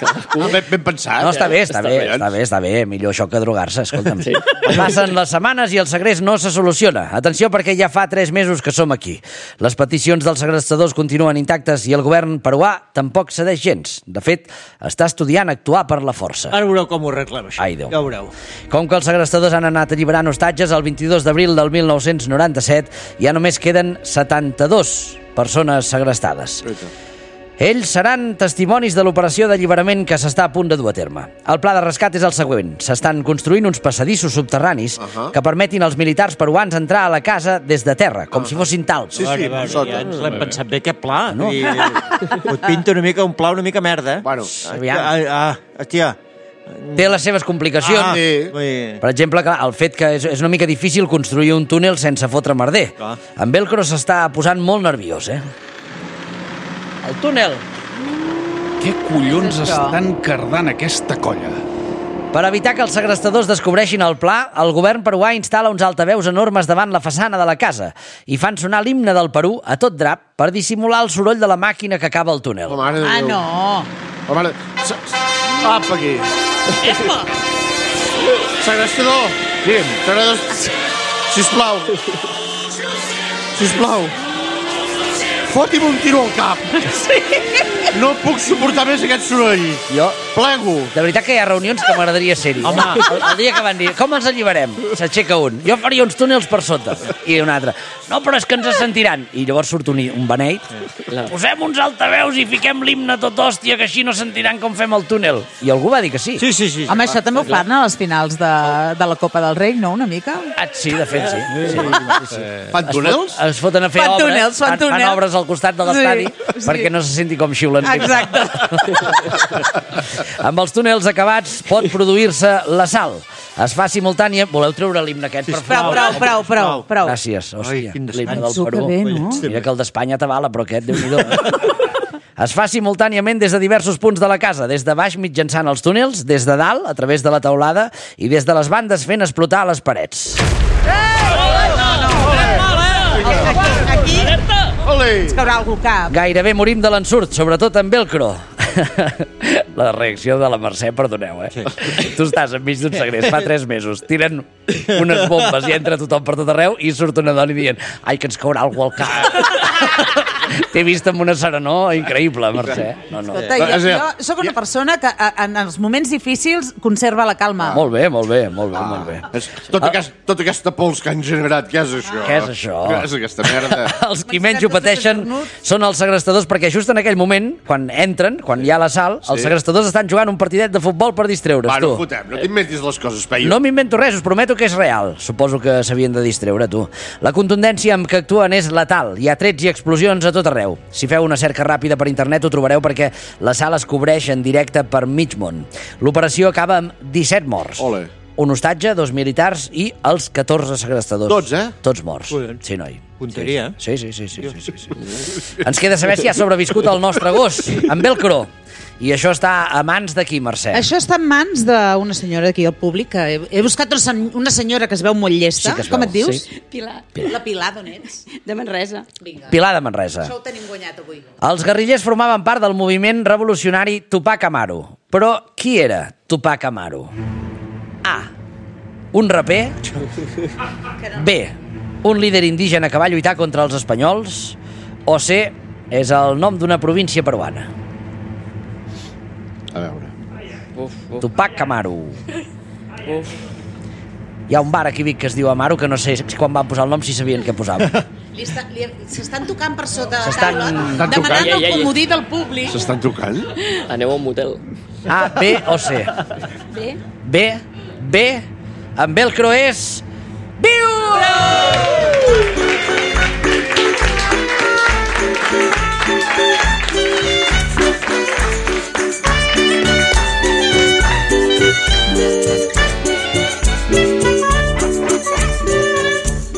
Ah, ben, ben pensat. No, està bé, està, Està bé, bé. està bé, està bé. Millor això que drogar-se, escolta'm. Sí. Passen les setmanes i el segrest no se soluciona. Atenció, perquè ja fa tres mesos que som aquí. Les peticions dels segrestadors continuen intactes i el govern peruà tampoc cedeix gens. De fet, està estudiant actuar per la força. Ara veureu com ho arreglem, això. Ai, Déu. Ja ho veureu. Com que els segrestadors han anat alliberant hostatges, el vint-i-dos d'abril del mil nou-cents noranta-set ja només queden setanta-dos persones segrestades. Ells seran testimonis de l'operació d'alliberament que s'està a punt de dur a terme. El pla de rescat és el següent. S'estan construint uns passadissos subterranis Uh-huh. que permetin als militars peruans entrar a la casa des de terra, com si fossin talps. Sí, sí, a veure, sota. ja ens l'hem pensat bé, aquest pla. No. I, et pinta una mica un pla una mica merda. Eh? Bueno, Aviam. Ah, ah, hòstia. Té les seves complicacions. Ah, sí. ui. Per exemple, clar, el fet que és, és una mica difícil construir un túnel sense fotre merder. Clar. En Velcro s'està posant molt nerviós, eh? El túnel. Què collons estan cardant aquesta colla? Per evitar que els segrestadors descobreixin el pla, el govern peruà instal·la uns altaveus enormes davant la façana de la casa i fan sonar l'himne del Perú a tot drap per dissimular el soroll de la màquina que acaba el túnel. oh, mare de Ah, Déu. no. Oh, mare... Se- Apa, aquí. Segrestador. Digue'm. Segrestador. Sisplau. Sisplau. Foti'm un tiro al cap. Sí. No puc suportar més aquest soroll. Jo, Plego. de veritat que hi ha reunions que m'agradaria ser-hi. Home. El, el dia que van dir, com els alliberem? S'aixeca un. Jo faria uns túnels per sota. I un altre. No, però és que ens sentiran. I llavors surt un, un beneit. La... Posem uns altaveus i fiquem l'himne tot hòstia, que així no sentiran com fem el túnel. I algú va dir que sí. Sí, sí, sí. Home, això també ho fan a les finals de, de la Copa del Rei, no? Una mica? Ah, sí, de fet, sí. sí, sí, sí. Fan túnels? Es foten a fer Fan obres, túnels, fan fan, fan túnels. obres al costat de l'estadi Sí, sí. perquè no se senti com xiulen. Exacte. Amb els túnels acabats pot produir-se la sal. Es fa simultània... Voleu treure l'himne aquest, per Prou, favor? prou, prou, prou, prou. Gràcies, hòstia. Ai, quin L'himne del descans. Perú. Que bé, no? Mira que el d'Espanya t'avala, però aquest, Déu-n'hi-do. Es fa simultàniament des de diversos punts de la casa, des de baix mitjançant els túnels, des de dalt, a través de la teulada, i des de les bandes fent explotar les parets. Aquí Ole! ens caurà algú al cap. Gairebé morim de l'ensurt, sobretot en velcro. La reacció de la Mercè, perdoneu, eh? Sí. Tu estàs enmig d'un segrest, fa tres mesos, tiren unes bombes i entra tothom per tot arreu i surt una dona i dient ai, que ens caurà algú al cap. T'he vist amb una serenor increïble, Mercè. No, no. Escolta, jo, jo sóc una persona que a, en els moments difícils conserva la calma. Molt bé, molt bé, molt bé, molt bé. És tota, aquest, tota aquesta pols que han generat, què és això? Què és això? Què és aquesta merda? Els qui menys ho pateixen són els segrestadors, perquè just en aquell moment, quan entren, quan hi ha la sal, els segrestadors segrestadors estan jugant un partidet de futbol per distreure's, Va, no tu. fotem, no t'inventis les coses, Peyu. No m'invento res, us prometo que és real. Suposo que s'havien de distreure, tu. La contundència amb què actuen és letal. Hi ha trets i explosions a tot arreu. Si feu una cerca ràpida per internet ho trobareu perquè la sala es cobreix en directe per mig món. L'operació acaba amb disset morts. Ole. Un hostatge, dos militars i els catorze segrestadors. Tots, eh? Tots morts. Collons. Sí, noi. Punteria, eh? Sí, sí, sí, sí, sí, sí, sí. Ens queda saber si ha sobreviscut el nostre gos, en velcro. I això està a mans de qui, Mercè? Això està en mans d'una senyora d'aquí al públic. Que he, he buscat una, sen una senyora que es veu molt llesta. Sí que es Com veu, et dius? sí. Pilar. La Pilar, d'on ets? De Manresa. Vinga. Pilar de Manresa. Això ho tenim guanyat avui. Els guerrillers formaven part del moviment revolucionari Tupac Amaru. Però qui era Tupac Amaru? A. Un raper. B. Un líder indígena que va lluitar contra els espanyols. O C. És el nom d'una província peruana. A veure. Uf, uf, Tupac Amaru. uf. Hi ha un bar aquí a Vic que es diu Amaru, que no sé quan van posar el nom si sabien què posaven. S'estan tocant per sota de la S'estan- taula, Estan demanant tocant. el comodí del públic. S'estan tocant? Aneu a un motel. A, B o C? Bé. B, B, amb velcro és... Viu!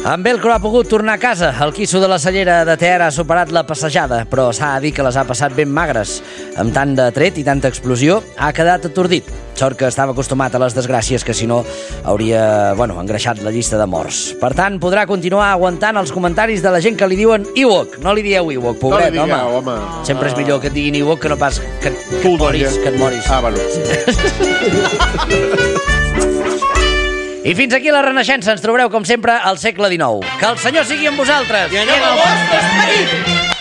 En velcro ha pogut tornar a casa. El quisso de la cellera de Ter ha superat la passejada, però s'ha de dir que les ha passat ben magres. Amb tant de tret i tanta explosió, ha quedat atordit. Sort que estava acostumat a les desgràcies, que si no hauria, bueno, engreixat la llista de morts. Per tant, podrà continuar aguantant els comentaris de la gent que li diuen Ewok. No li dieu Ewok, pobret, no li digueu, home. home. Sempre és millor que et diguin Ewok que no pas que, que, Tu et moris, doia. que et moris. Ah, bueno. I fins aquí la Renaixença. Ens trobareu, com sempre, al segle dinou. Que el Senyor sigui amb vosaltres. I anem al vostre esperit!